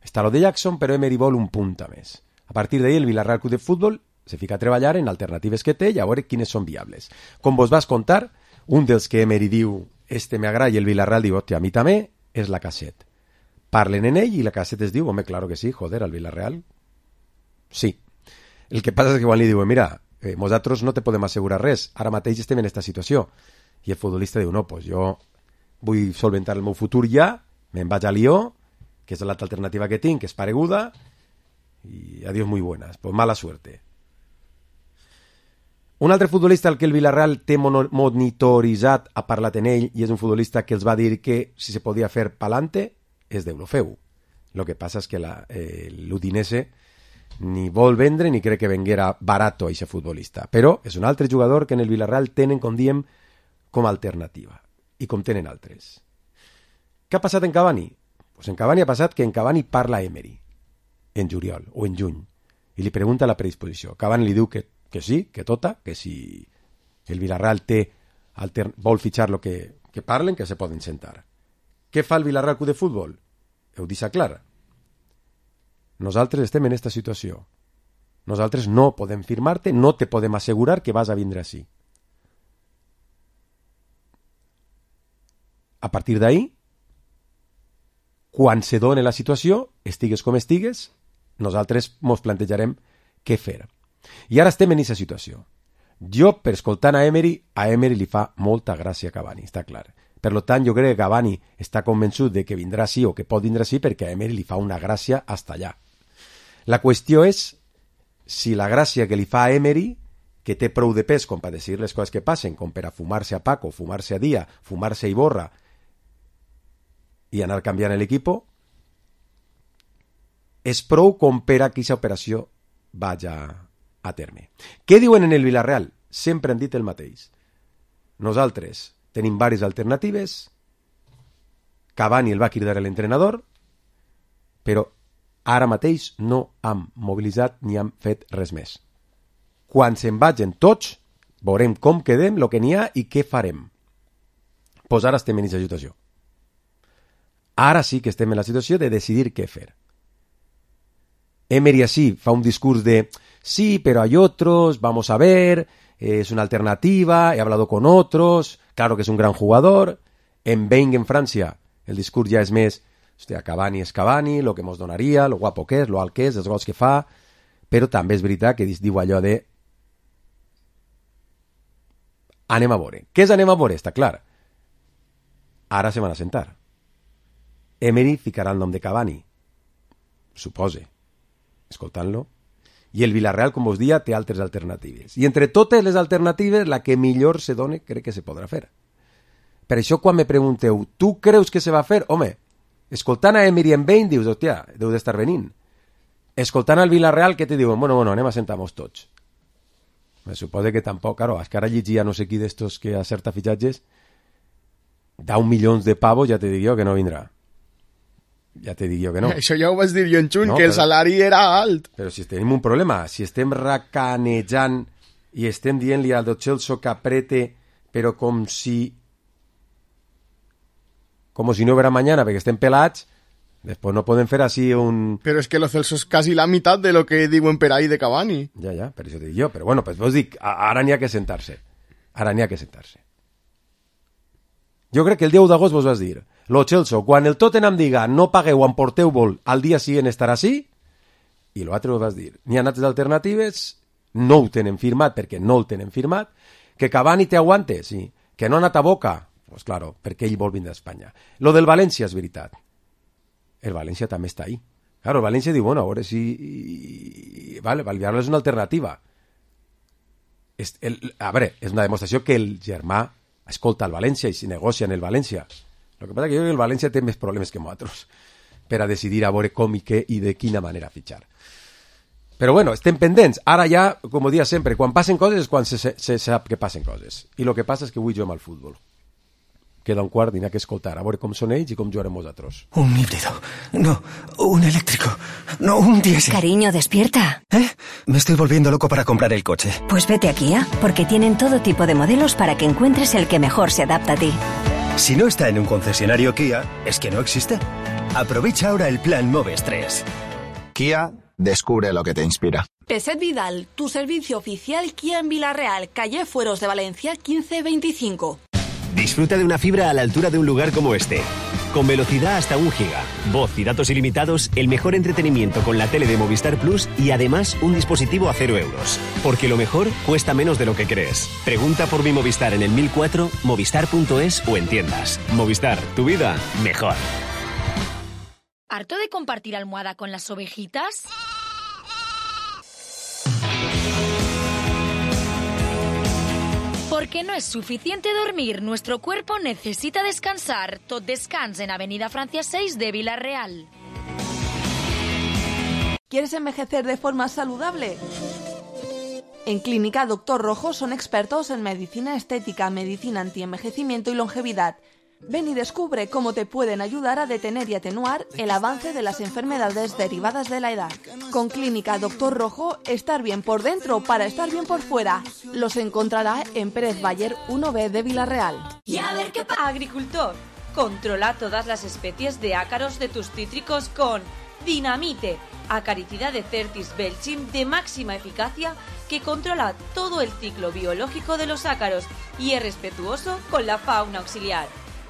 està lo de Jackson, però Emery vol un punt a més. A partir d'ahí el Villarreal Club de Futbol se fica a treballar en alternatives que té i a veure quines són viables. Com vos vas contar, Un dels que Emery diu m'agrada i el Villarreal diu, hòstia, a mi també, és Lacazette. Parlen en ell i Lacazette es diu, home, claro que sí, joder, al Villarreal. Sí. El que passa és que quan li diuen, mira, nosaltres no te podem assegurar res, ara mateix estem en aquesta situació. I el futbolista diu, no, pues jo vull solventar el meu futur ja, me'n vaig a Lió, que és l'altra alternativa que tinc, que és pareguda, i adiós muy buenas, pues mala suerte. Un altre futbolista al que el Villarreal té monitoritzat, ha parlat en ell, i és un futbolista que els va dir que si se podia fer pa'lante, és d'Eurofeu. Lo que passa és que l'Udinese ni vol vendre ni crec que venguera barato a aquest futbolista. Però és un altre jugador que en el Villarreal tenen, com diem, com a alternativa. I com tenen altres. Què ha passat en Cavani? Pues en Cavani ha passat que en Cavani parla Emery, en juliol o en juny, i li pregunta la predisposició. Cavani li diu que sí, que tota, que si el Villarreal vol fitxar lo que parlen, que se poden sentar. Què fa el Villarreal Club de Futbol? Ho deixa clar. Nosaltres estem en aquesta situació. Nosaltres no podem firmar-te, no te podem assegurar que vas a vindre així. A partir d'ahí, quan se doni la situació, estigues com estigues, nosaltres ens plantejarem què fer. I ara estem en aquesta situació. Jo, per escoltant a Emery li fa molta gràcia a Cavani, està clar. Per tant, jo crec que Cavani està convençut de que vindrà sí o que pot vindre sí perquè a Emery li fa una gràcia hasta allà. La qüestió és si la gràcia que li fa a Emery, que té prou de pes com per dir les coses que passen, com per a fumar-se a Paco, fumar-se a Dia, fumar-se a Iborra i anar canviant l'equip, és prou com per a que aquesta operació vaja a terme. Què diuen en el Villarreal? Sempre han dit el mateix. Nosaltres tenim diverses alternatives, Cavani el va cridar l'entrenador, però ara mateix no hem mobilitzat ni hem fet res més. Quan se'n vagin tots, veurem com quedem, el que n'hi ha i què farem. Pues ara estem en aquesta situació. Ara sí que estem en la situació de decidir què fer. Emery así fa un discurs de sí, pero hay otros, vamos a ver, es una alternativa, he hablado con otros, claro que es un gran jugador. En Wenger, en Francia, el discurs ja és més, hòstia, Cavani és Cavani, lo que mos donaria, lo guapo que és, lo alt que és, els gols que fa, però també és veritat que diu allò de anem a veure. Què és anem a veure? Està clar. Ara se van a sentar. Emery ficarà el nom de Cavani, supose, escoltant-lo, i el Villarreal, com us dia, té altres alternatives. I entre totes les alternatives, la que millor se doni, crec que se podrà fer. Per això, quan me pregunteu, tu creus que se va fer? Home, escoltant a Emery en Bain, dius, hòstia, deu d'estar venint. Escoltant al Villarreal, què te diuen? Bueno, anem a sentar-nos tots. Me supose que tampoc, claro, és que ara llegia no sé qui d'estos que acerta fitxatges, da 1 milió de pavos, ja te dic jo que no vindrà. Ja te dic jo que no. Això ja ho vas dir jo en juny, no, que el salari era alt. Però si tenim un problema, si estem racanejant i estem dient-li al Lo Celso que aprete, però com si no hubiera mañana, perquè estem pelats, després no podem fer així un... Però és que Lo Celso és quasi la meitat de lo que diuen per ahí de Cavani. Ja, per això dic jo. Però bueno, pues vos dic, ara n'hi ha que sentar-se. Ara n'hi ha que sentar-se. Jo crec que el 10 d'agost vos vas dir, Lo Celso, quan el Tottenham diga no pagueu, emporteu-vos, al dia siguiente estarà així, i l'altre vos vas dir, n'hi ha altres alternatives, no ho tenen firmat perquè no el tenen firmat, que Cavani te aguante, sí, que no ha anat a Boca, pues claro, perquè ell vol vindre a Espanya. Lo del València és veritat. El València també està ahí. Claro, el València diu, bueno, a veure si... Vale, Villarreal és una alternativa. A veure, és una demostració que el germà escolta el València i si negocia en el València. El que passa que jo crec que el València té més problemes que nosaltres per a decidir a veure com i què i de quina manera fitxar. Però bueno, estem pendents. Ara ja, com ho dia sempre, quan passen coses és quan se sap que passen coses. I el que passa és que avui juguem al futbol. Queda un quart i n'hi ha que escoltar, a veure com són ells i com jugarem nosaltres. Un híbrido. No, un eléctrico. No, un diésel. Cariño, despierta. Me estoy volviendo loco para comprar el coche. Pues vete a Kia, porque tienen todo tipo de modelos para que encuentres el que mejor se adapta a ti. Si no está en un concesionario Kia, es que no existe. Aprovecha ahora el plan Moves 3. Kia, Descubre lo que te inspira. Peset Vidal, tu servicio oficial Kia en Villarreal, calle Fueros de Valencia 1525. Disfruta de una fibra a la altura de un lugar como este. Con velocidad hasta 1 giga, voz y datos ilimitados, el mejor entretenimiento con la tele de Movistar Plus y además un dispositivo a 0 euros. Porque lo mejor cuesta menos de lo que crees. Pregunta por mi Movistar en el 1004, movistar.es o en tiendas. Movistar, tu vida mejor. ¿Harto de compartir almohada con las ovejitas? Porque no es suficiente dormir, nuestro cuerpo necesita descansar. Tot Descans en Avenida Francia 6 de Villarreal. ¿Quieres envejecer de forma saludable? En Clínica Doctor Rojo son expertos en medicina estética, medicina antienvejecimiento y longevidad. Ven y descubre cómo te pueden ayudar a detener y atenuar el avance de las enfermedades derivadas de la edad. Con Clínica Doctor Rojo, estar bien por dentro para estar bien por fuera. Los encontrará en Pérez Bayer 1B de Villarreal. Y a ver qué pasa. Agricultor, controla todas las especies de ácaros de tus cítricos con Dinamite, acaricida de Certis Belchim de máxima eficacia que controla todo el ciclo biológico de los ácaros y es respetuoso con la fauna auxiliar.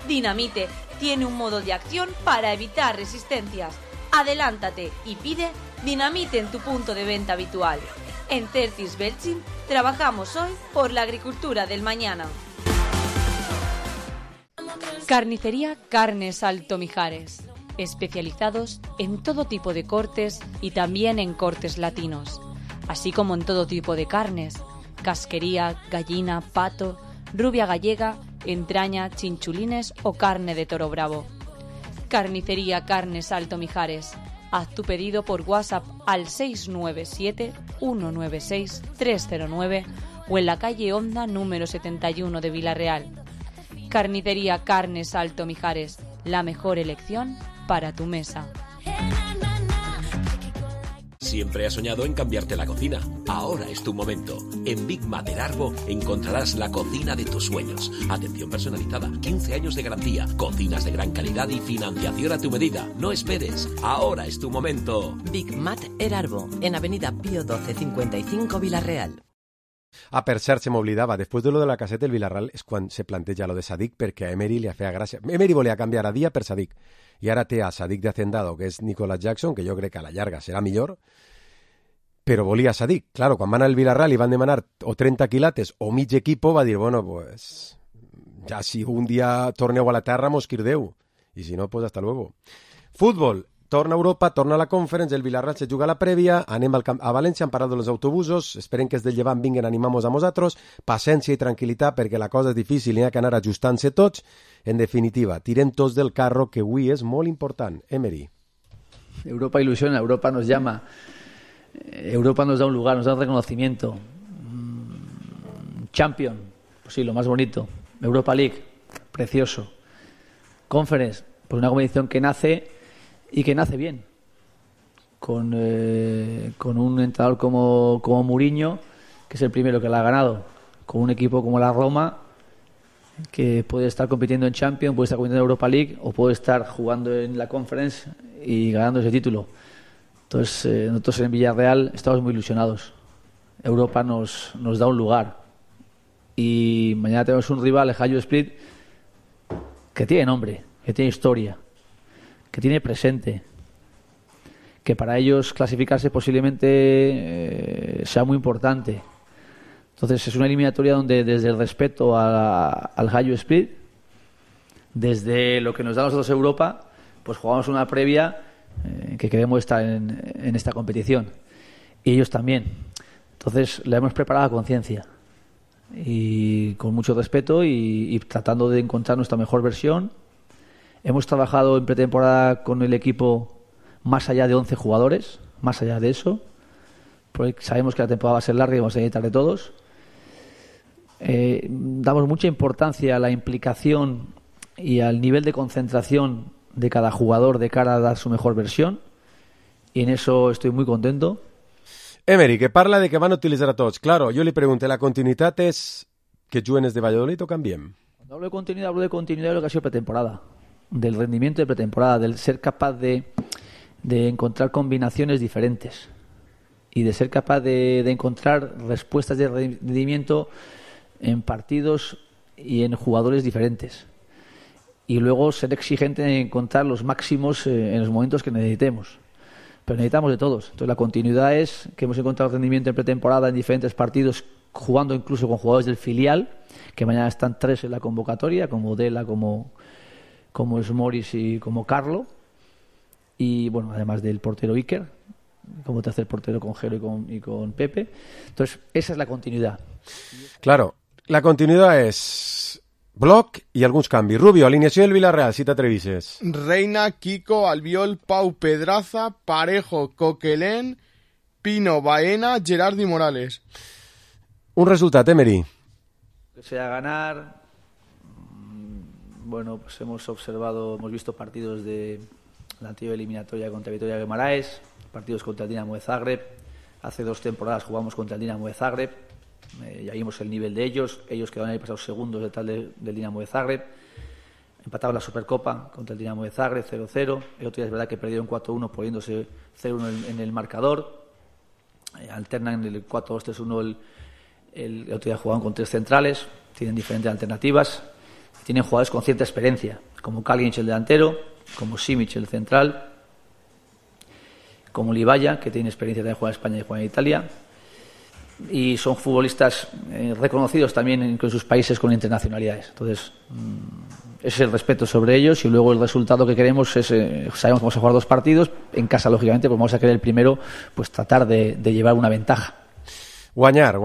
Dinamite tiene un modo de acción para evitar resistencias. Adelántate y pide Dinamite en tu punto de venta habitual. En Certis Belchim trabajamos hoy por la agricultura del mañana. Carnicería Carnes Alto Mijares. Especializados en todo tipo de cortes y también en cortes latinos, así como en todo tipo de carnes, casquería, gallina, pato, rubia gallega, entraña, chinchulines o carne de toro bravo. Carnicería Carnes Alto Mijares. Haz tu pedido por WhatsApp al 697 196 309 o en la calle Honda número 71 de Villarreal. Carnicería Carnes Alto Mijares. La mejor elección para tu mesa. Siempre has soñado en cambiarte la cocina. Ahora es tu momento. En Big Mat Erarbo encontrarás la cocina de tus sueños. Atención personalizada, 15 años de garantía, cocinas de gran calidad y financiación a tu medida. No esperes. Ahora es tu momento. Big Mat Erarbo, en Avenida Pío 12 55 Villarreal. Per cert, se m'oblidava, després de lo de la caseta del Villarreal és quan se planteja lo de Sadik, perquè a Emery li feia gràcia. Emery volia canviar a Dia per Sadik, i ara té a Sadik de Hacendado, que és Nicolas Jackson, que jo crec que a la llarga serà millor, però volia Sadik. Claro, quan van al Villarreal i van demanar o 30 quilates o mig equipo, va dir, bueno, pues, ja si un dia torneu a la terra, mos quirdeu, i si no, pues hasta luego. Futbol. Torna a Europa, torna a la Conference, el Villarreal se juga a la prèvia, anem a València, han parat els autobusos, esperem que els del Llevant vinguen a animar-nos a nosaltres, paciència i tranquil·litat perquè la cosa és difícil i hi ha que anar ajustant-se tots. En definitiva, tirem tots del carro, que avui és molt important. Emery. Europa ilusiona, Europa nos llama, Europa nos da un lugar, nos da un reconocimiento. Champion, pues sí, lo más bonito. Europa League, precioso. Conference, pues una competición que nace y que nace bien, con un entrenador como Mourinho, que es el primero que la ha ganado, con un equipo como la Roma, que puede estar compitiendo en Champions, puede estar compitiendo en Europa League, o puede estar jugando en la Conference y ganando ese título. Entonces, nosotros en Villarreal estamos muy ilusionados. Europa nos da un lugar. Y mañana tenemos un rival, el Hajduk Split, que tiene nombre, que tiene historia, que tiene presente, que para ellos clasificarse posiblemente sea muy importante. Entonces es una eliminatoria donde desde el respeto al Hajduk Split, desde lo que nos da a nosotros Europa, pues jugamos una previa que queremos estar en esta competición. Y ellos también. Entonces la hemos preparado a conciencia y con mucho respeto y tratando de encontrar nuestra mejor versión. Hemos trabajado en pretemporada con el equipo más allá de 11 jugadores, más allá de eso, porque sabemos que la temporada va a ser larga y vamos a necesitar de todos. Damos mucha importancia a la implicación y al nivel de concentración de cada jugador de cara a dar su mejor versión, y en eso estoy muy contento. Emery, que parla de que van a utilitzar a tots. Claro, jo li pregunté, ¿la continuïtat és que juguen els de Valladolid o canviem? Cuando hablo de continuidad de lo que ha sido pretemporada, del rendimiento de pretemporada, del ser capaz de encontrar combinaciones diferentes. y de ser capaz de encontrar respuestas de rendimiento en partidos y en jugadores diferentes. Y luego ser exigente en encontrar los máximos en los momentos que necesitemos. Pero necesitamos de todos. Entonces la continuidad es que hemos encontrado rendimiento en pretemporada en diferentes partidos, jugando incluso con jugadores del filial, que mañana están 3 en la convocatoria, como Dela, como Smoris y como Carlo. Y bueno, además del portero Iker, como tercer portero con Jero y con Pepe. Entonces esa es la continuidad. Claro, la continuidad es bloc i alguns canvis. Rubio, alineació del Villarreal, si t'atrevisses. Reina, Kiko, Albiol, Pau, Pedraza, Parejo, Coquelin, Pino, Baena, Gerard y Morales. Un resultat, Emery. Que sea ganar. Bueno, pues hemos visto partidos de la anterior eliminatoria contra Vitoria Guimaraes, partidos contra el Dinamo de Zagreb. Hace 2 temporadas jugamos contra el Dinamo de Zagreb. Ya vimos el nivel de ellos quedaron ahí pasados segundos detrás del Dinamo de Zagreb, empataron la Supercopa contra el Dinamo de Zagreb 0-0, el otro día es verdad que perdieron 4-1 poniéndose 0-1 en el marcador, alternan en el 4-2-3-1, el otro día jugaban con 3 centrales, tienen diferentes alternativas, tienen jugadores con cierta experiencia, como Kalinic el delantero, como Simic el central, como Libaya, que tiene experiencia de jugar en España y jugar en Italia. Y son futbolistas reconocidos también en sus países con internacionalidades. Entonces, ese es el respeto sobre ellos y luego el resultado que queremos es, sabemos que vamos a jugar 2 partidos, en casa lógicamente pues vamos a querer el primero pues tratar de llevar una ventaja. Guanyar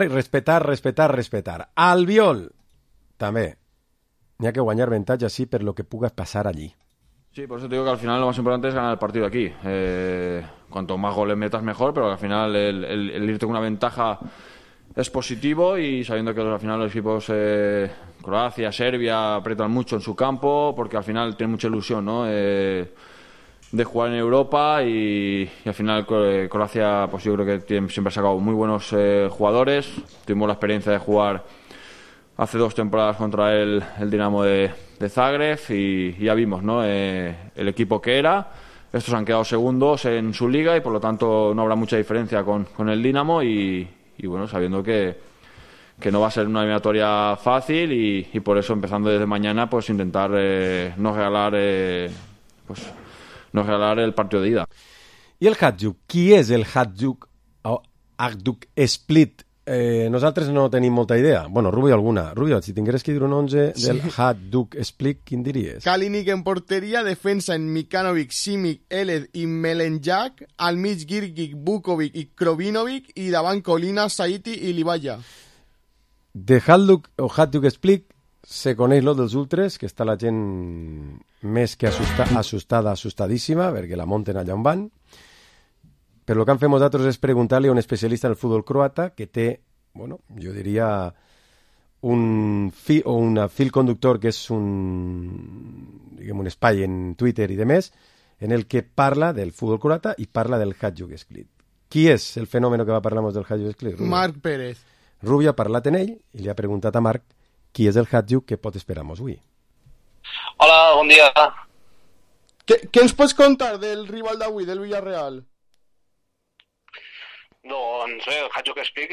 i respetar. Albiol, també. N'hi ha que guanyar avantatge, sí, per lo que puga passar allí. Sí, por eso te digo que al final lo más importante es ganar el partido aquí. Cuanto más goles metas mejor, pero al final el irte con una ventaja es positivo y sabiendo que al final los equipos Croacia, Serbia apretan mucho en su campo porque al final tienen mucha ilusión, ¿no? De jugar en Europa y al final Croacia pues yo creo que siempre ha sacado muy buenos jugadores. Tuvimos la experiencia de jugar hace 2 temporadas contra el Dinamo de Zagreb y ya vimos, ¿no? El equipo que era. Estos han quedado segundos en su liga y por lo tanto no habrá mucha diferencia con el Dinamo y bueno, sabiendo que no va a ser una eliminatoria fácil y por eso empezando desde mañana pues intentar no regalar el partido de ida. I el Hajduk? Qui és el Hajduk o Hajduk Split? Nosaltres no tenim molta idea. Bueno, Rubio alguna. Rubio, si tingueres que dir un 11 del Hajduk Split, quin diries? Kalinic en porteria, defensa en Mikanovic, Simic, Eled i Melenjak, al mig Girgic, Vukovic i Krovinovic i davant Colina, Saiti i Libaya. De Hajduk o Hajduk Split se coneix lo dels ultres, que està la gent més que assustadíssima, perquè la munten allà on van. Però el que han fet nosaltres és preguntar-li a un especialista en el futbol croata que té, bueno, jo diria un fil conductor que és un espai en Twitter i demés, en el que parla del futbol croata i parla del Hajduk Split. Qui és el fenòmeno que va parlar del Hajduk Split? Rubio. Marc Pérez. Rubio ha parlat en ell i li ha preguntat a Marc qui és el Hajduk que pot esperar-nos avui. Hola, bon dia. Què ens pots contar del rival d'avui, del Villarreal? Doncs bé, el Hajduk Split,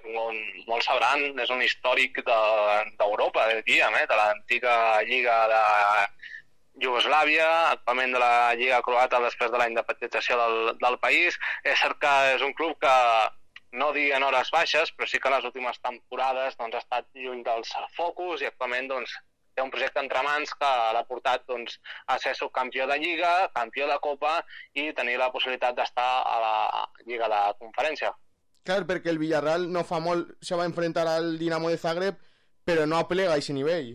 com molts sabran, és un històric d'Europa, diríem, de l'antiga lliga de Iugoslàvia, actualment de la lliga croata després de la independentització del país. És cert que és un club que no dic en hores baixes, però sí que en les últimes temporades ha estat lluny dels focus i actualment té un projecte entre mans que l'ha portat a ser subcampió de Lliga, campió de Copa i tenir la possibilitat d'estar a la Lliga de Conferència. Clar, perquè el Villarreal no fa molt se va enfrentar al Dinamo de Zagreb, però no aplega a aquest nivell.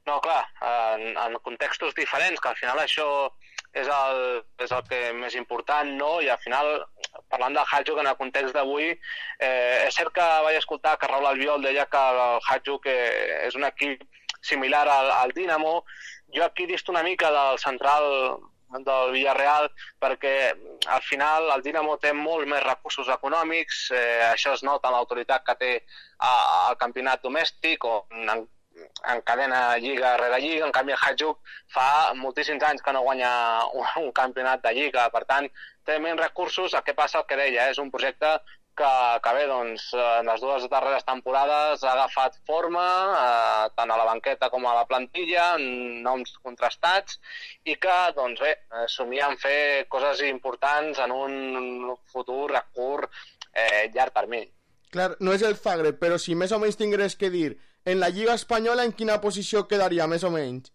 No, clar, en contextos diferents, que al final això és el que més important, no? I al final, parlant del Hajduk en el context d'avui, és cert que vaig escoltar que Raúl Albiol deia que el Hajduk és un equip similar al Dinamo. Jo aquí disto una mica del central del Villarreal perquè al final el Dinamo té molt més recursos econòmics, això es nota en l'autoritat que té al campionat domèstic o encadena lliga rere lliga. En canvi el Hajduk fa moltíssims anys que no guanya un campionat de lliga, per tant té menys recursos. El que passa, el que deia, és un projecte que bé, doncs, en les 2 darreres temporades ha agafat forma, tant a la banqueta com a la plantilla, noms contrastats, i que, doncs bé, somien fer coses importants en un futur a curt, llarg termini. Clar, no és el Zagreb, però si més o menys tingués que dir, en la Lliga Espanyola en quina posició quedaria, més o menys?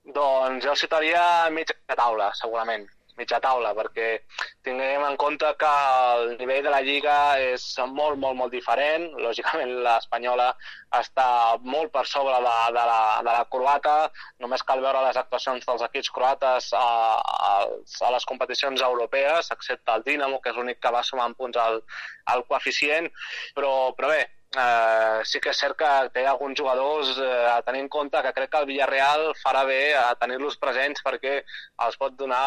Doncs jo el situaria mitja taula, segurament. Mitja taula, perquè tinguem en compte que el nivell de la Lliga és molt, molt, molt diferent. Lògicament l'espanyola està molt per sobre de la croata. Només cal veure les actuacions dels equips croates a les competicions europees, excepte el Dinamo, que és l'únic que va sumant punts al coeficient. Però bé, sí que és cert que té alguns jugadors a tenir en compte, que crec que el Villarreal farà bé a tenir-los presents perquè els pot donar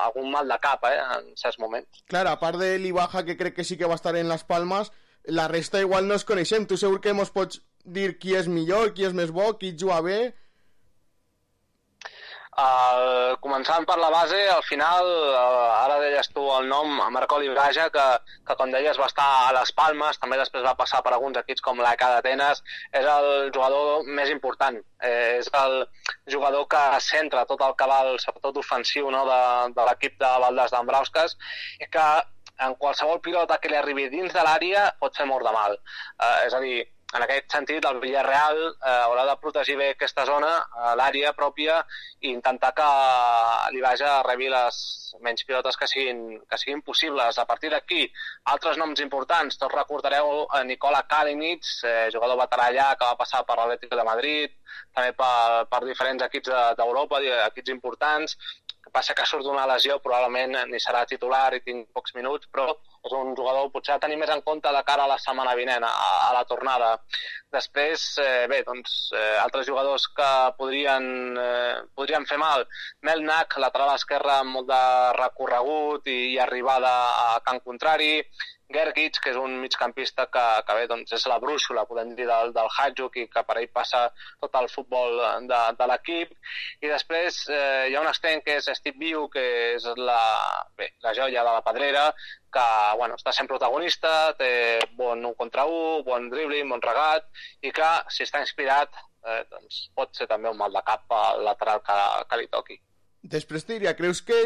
algun mal de cap en certs moments. Clar, a part de l'Ibaja, que crec que sí que va estar en les Palmes, la resta igual no es coneixem. Tu segur que mos pots dir qui és millor, qui és més bo, qui juga bé? Començant per la base, al final, ara deies tu el nom, Marco Libraja, que com deies va estar a les Palmes, també després va passar per alguns equips com l'AEK d'Atenes, és el jugador més important, és el jugador que centra tot el cabal, sobretot ofensiu, no, de l'equip de Valdés Dambrauskas, i que en qualsevol pilota que li arribi dins de l'àrea pot fer molt de mal. És a dir, en aquest sentit, el Villarreal haurà de protegir bé aquesta zona, l'àrea pròpia, i intentar que l'Ibaja rebi les menys pilotes que siguin possibles. A partir d'aquí, altres noms importants. Tots recordareu Nikola Kalinic, jugador veterà allà, que va passar per l'Atlético de Madrid, també per diferents equips d'Europa, equips importants. El que passa que surt d'una lesió, probablement ni serà titular i tinc pocs minuts, però és un jugador potser a tenir més en compte de cara a la setmana vinent, a la tornada. Després, bé, doncs, altres jugadors que podrien fer mal. Melnak, lateral esquerra amb molt de recorregut i arribada a camp contrari. Gergic, que és un migcampista que bé, doncs és la brúixola, podem dir, del Hajduk, i que per ell passa tot el futbol de l'equip. I després hi ha un extrem que és Steve Viu, que és la joia de la pedrera, que està sent protagonista, té bon 1 contra 1, bon dribbling, bon regat, i que, si està inspirat, doncs pot ser també un mal de cap al lateral que li toqui. Després te diria, creus que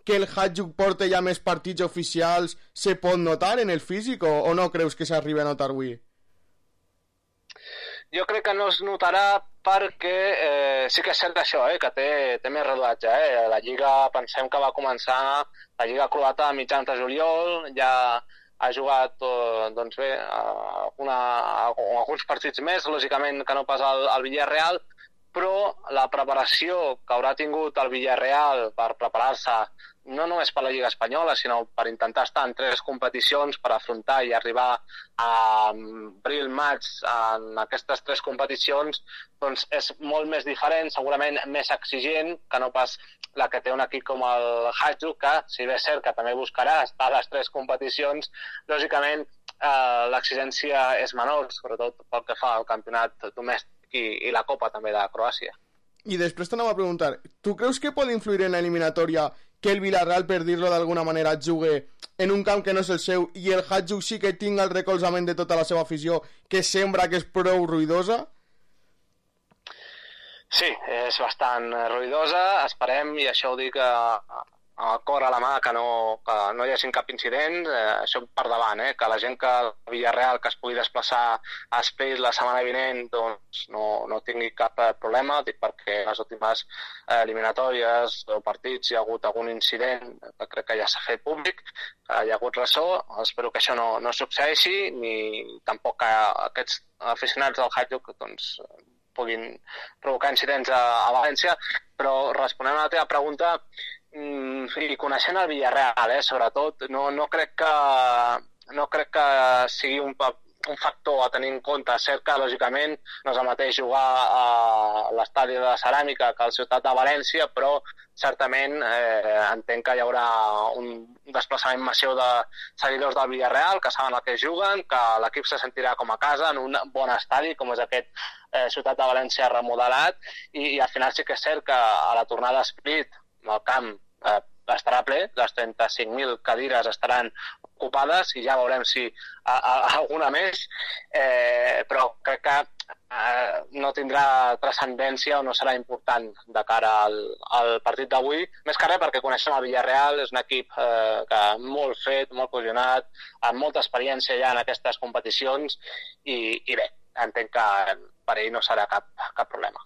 el Hajduk porta ja més partits oficials se pot notar en el físic o no creus que s'arribi a notar avui? Jo crec que no es notarà perquè sí que és cert això, que té més rodatge. La Lliga, pensem que va començar la Lliga croata a mitjans de juliol, ja ha jugat doncs bé, alguns partits més, lògicament que no pas el Villarreal, però la preparació que haurà tingut el Villarreal per preparar-se no només per la Lliga Espanyola, sinó per intentar estar en 3 competicions per afrontar i arribar a abril-maig en aquestes 3 competicions, doncs és molt més diferent, segurament més exigent que no pas la que té un equip com el Hajduk, que si bé és cert que també buscarà estar a les 3 competicions, lògicament l'exigència és menor, sobretot pel que fa al campionat domèstic i la Copa també de Croàcia. I després t'anava a preguntar, tu creus que pot influir en l'eliminatòria que el Villarreal, per dir-lo d'alguna manera, jugui en un camp que no és el seu i el Hajduk sí que tinga el recolzament de tota la seva afició, que sembra que és prou ruïdosa? Sí, és bastant ruïdosa, esperem, i això ho dic a cor a la mà, que no hi hagi cap incident, això per davant, que la gent que el Villarreal que es pugui desplaçar a Split la setmana vinent doncs no tingui cap problema, dic perquè en les últimes eliminatòries o partits hi ha hagut algun incident que crec que ja s'ha fet públic, hi ha hagut ressò, espero que això no succeeixi, ni tampoc que aquests aficionats del Hajduk doncs puguin provocar incidents a València, però responent a la teva pregunta, i coneixent el Villarreal, sobretot, no crec que sigui un factor a tenir en compte. Cert que, lògicament, no és el mateix jugar a l'estadi de Ceràmica que a la ciutat de València, però certament entenc que hi haurà un desplaçament massiu de seguidors del Villarreal, que saben el que juguen, que l'equip se sentirà com a casa en un bon estadi, com és aquest ciutat de València remodelat, i al final sí que és cert que a la tornada a Split, el camp estarà ple, les 35.000 cadires estaran ocupades i ja veurem si alguna més, però crec que no tindrà transcendència o no serà important de cara al partit d'avui, més que res perquè coneixem el Villarreal, és un equip que molt fet, molt cohesionat, amb molta experiència ja en aquestes competicions i bé, entenc que per ell no serà cap problema.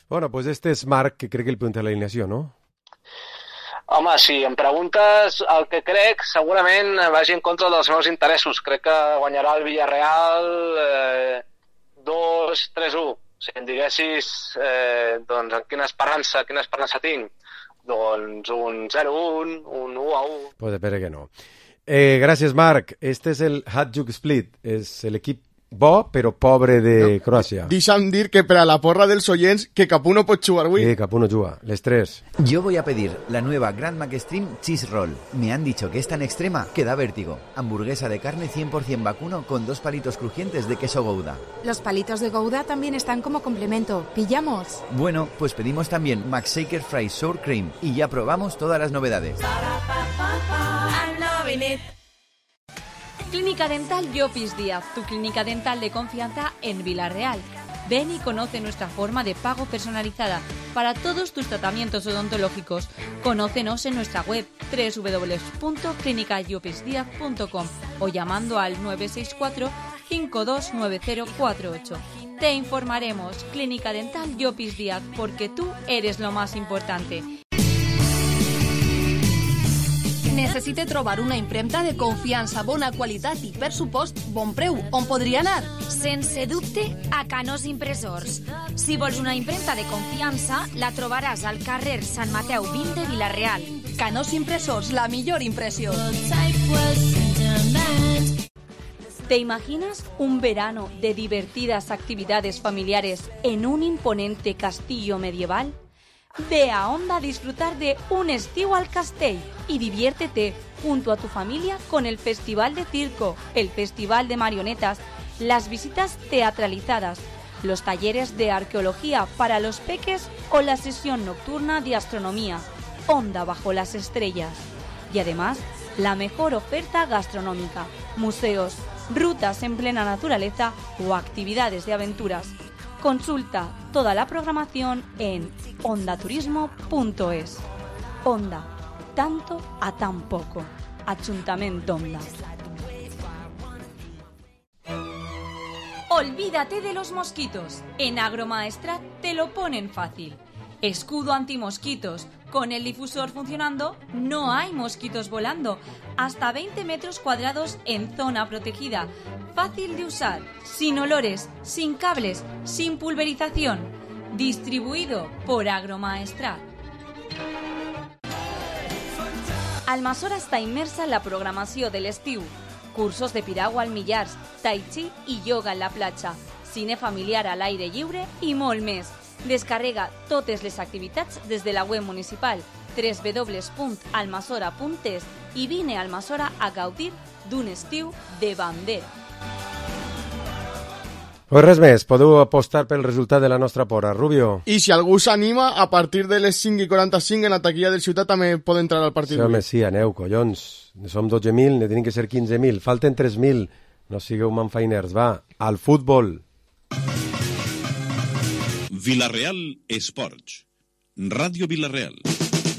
Bueno, pues este es Marc, que crec que el pregunta la alineació, ¿no? Home, si em preguntes el que crec, segurament vagi en contra dels meus interessos. Crec que guanyarà el Villarreal 2-3-1. Si em diguessis doncs, quina esperança tinc, doncs un 0-1, un 1-1. Pues espera que no. Gràcies, Marc. Este és el Hajduk Split. És l'equip bo, però pobre de Croàcia. Deixa'm dir que per a la porra dels oients que cap un no pot jugar avui. Cap un no juga. Les tres. Yo voy a pedir la nueva Grand Mac Extreme Cheese Roll. Me han dicho que es tan extrema que da vértigo. Hamburguesa de carne 100% vacuno con 2 palitos crujientes de queso Gouda. Los palitos de Gouda también están como complemento. ¿Pillamos? Bueno, pues pedimos también Mac Shaker Fry Sour Cream y ya probamos todas las novedades. Clínica Dental Llopis Díaz, tu clínica dental de confianza en Vila-real. Ven y conoce nuestra forma de pago personalizada para todos tus tratamientos odontológicos. Conócenos en nuestra web www.clinicallopisdiaz.com o llamando al 964 529048. Te informaremos. Clínica Dental Llopis Díaz, porque tú eres lo más importante. Necessite trobar una impremta de confiança, bona qualitat i, per supost, bon preu. On podria anar? Sense dubte, a Canós Impressors. Si vols una impremta de confiança, la trobaràs al carrer Sant Mateu 20 de Vila-real. Canós Impressors, la millor impressió. ¿Te imaginas un verano de divertidas actividades familiares en un imponente castillo medieval? Ve a Onda a disfrutar de un estiu al Castell y diviértete junto a tu familia con el Festival de Circo, el Festival de Marionetas, las visitas teatralizadas, los talleres de arqueología para los peques o la sesión nocturna de astronomía, Onda bajo las estrellas. Y además, la mejor oferta gastronómica, museos, rutas en plena naturaleza o actividades de aventuras. Consulta toda la programación en ondaturismo.es. Onda, tanto a tan poco. Ayuntamiento Onda. Olvídate de los mosquitos. En Agromaestrat te lo ponen fácil. Escudo antimosquitos. Con el difusor funcionando, no hay mosquitos volando. Hasta 20 metros cuadrados en zona protegida. Fácil de usar, sin olores, sin cables, sin pulverización. Distribuido por Agromaestrat. Almassora està immersa en la programació de l'estiu. Cursos de piragua al Millars, tai chi i yoga en la platja, cine familiar a l'aire lliure i molt més. Descarrega totes les activitats des de la web municipal www.almassora.es i vine a Almassora a gaudir d'un estiu de bandera. Pues res més, podeu apostar pel resultat de la nostra pora. Rubio. I si algú s'anima, a partir de les 5:45 en la taquilla del Ciutat també pot entrar al partit. Sí, home, sí, aneu, collons. Som 12.000, ne tenim que ser 15.000. Falten 3.000. No sigueu manfainers. Va, al futbol. Vila-real Esports. Ràdio Vila-real.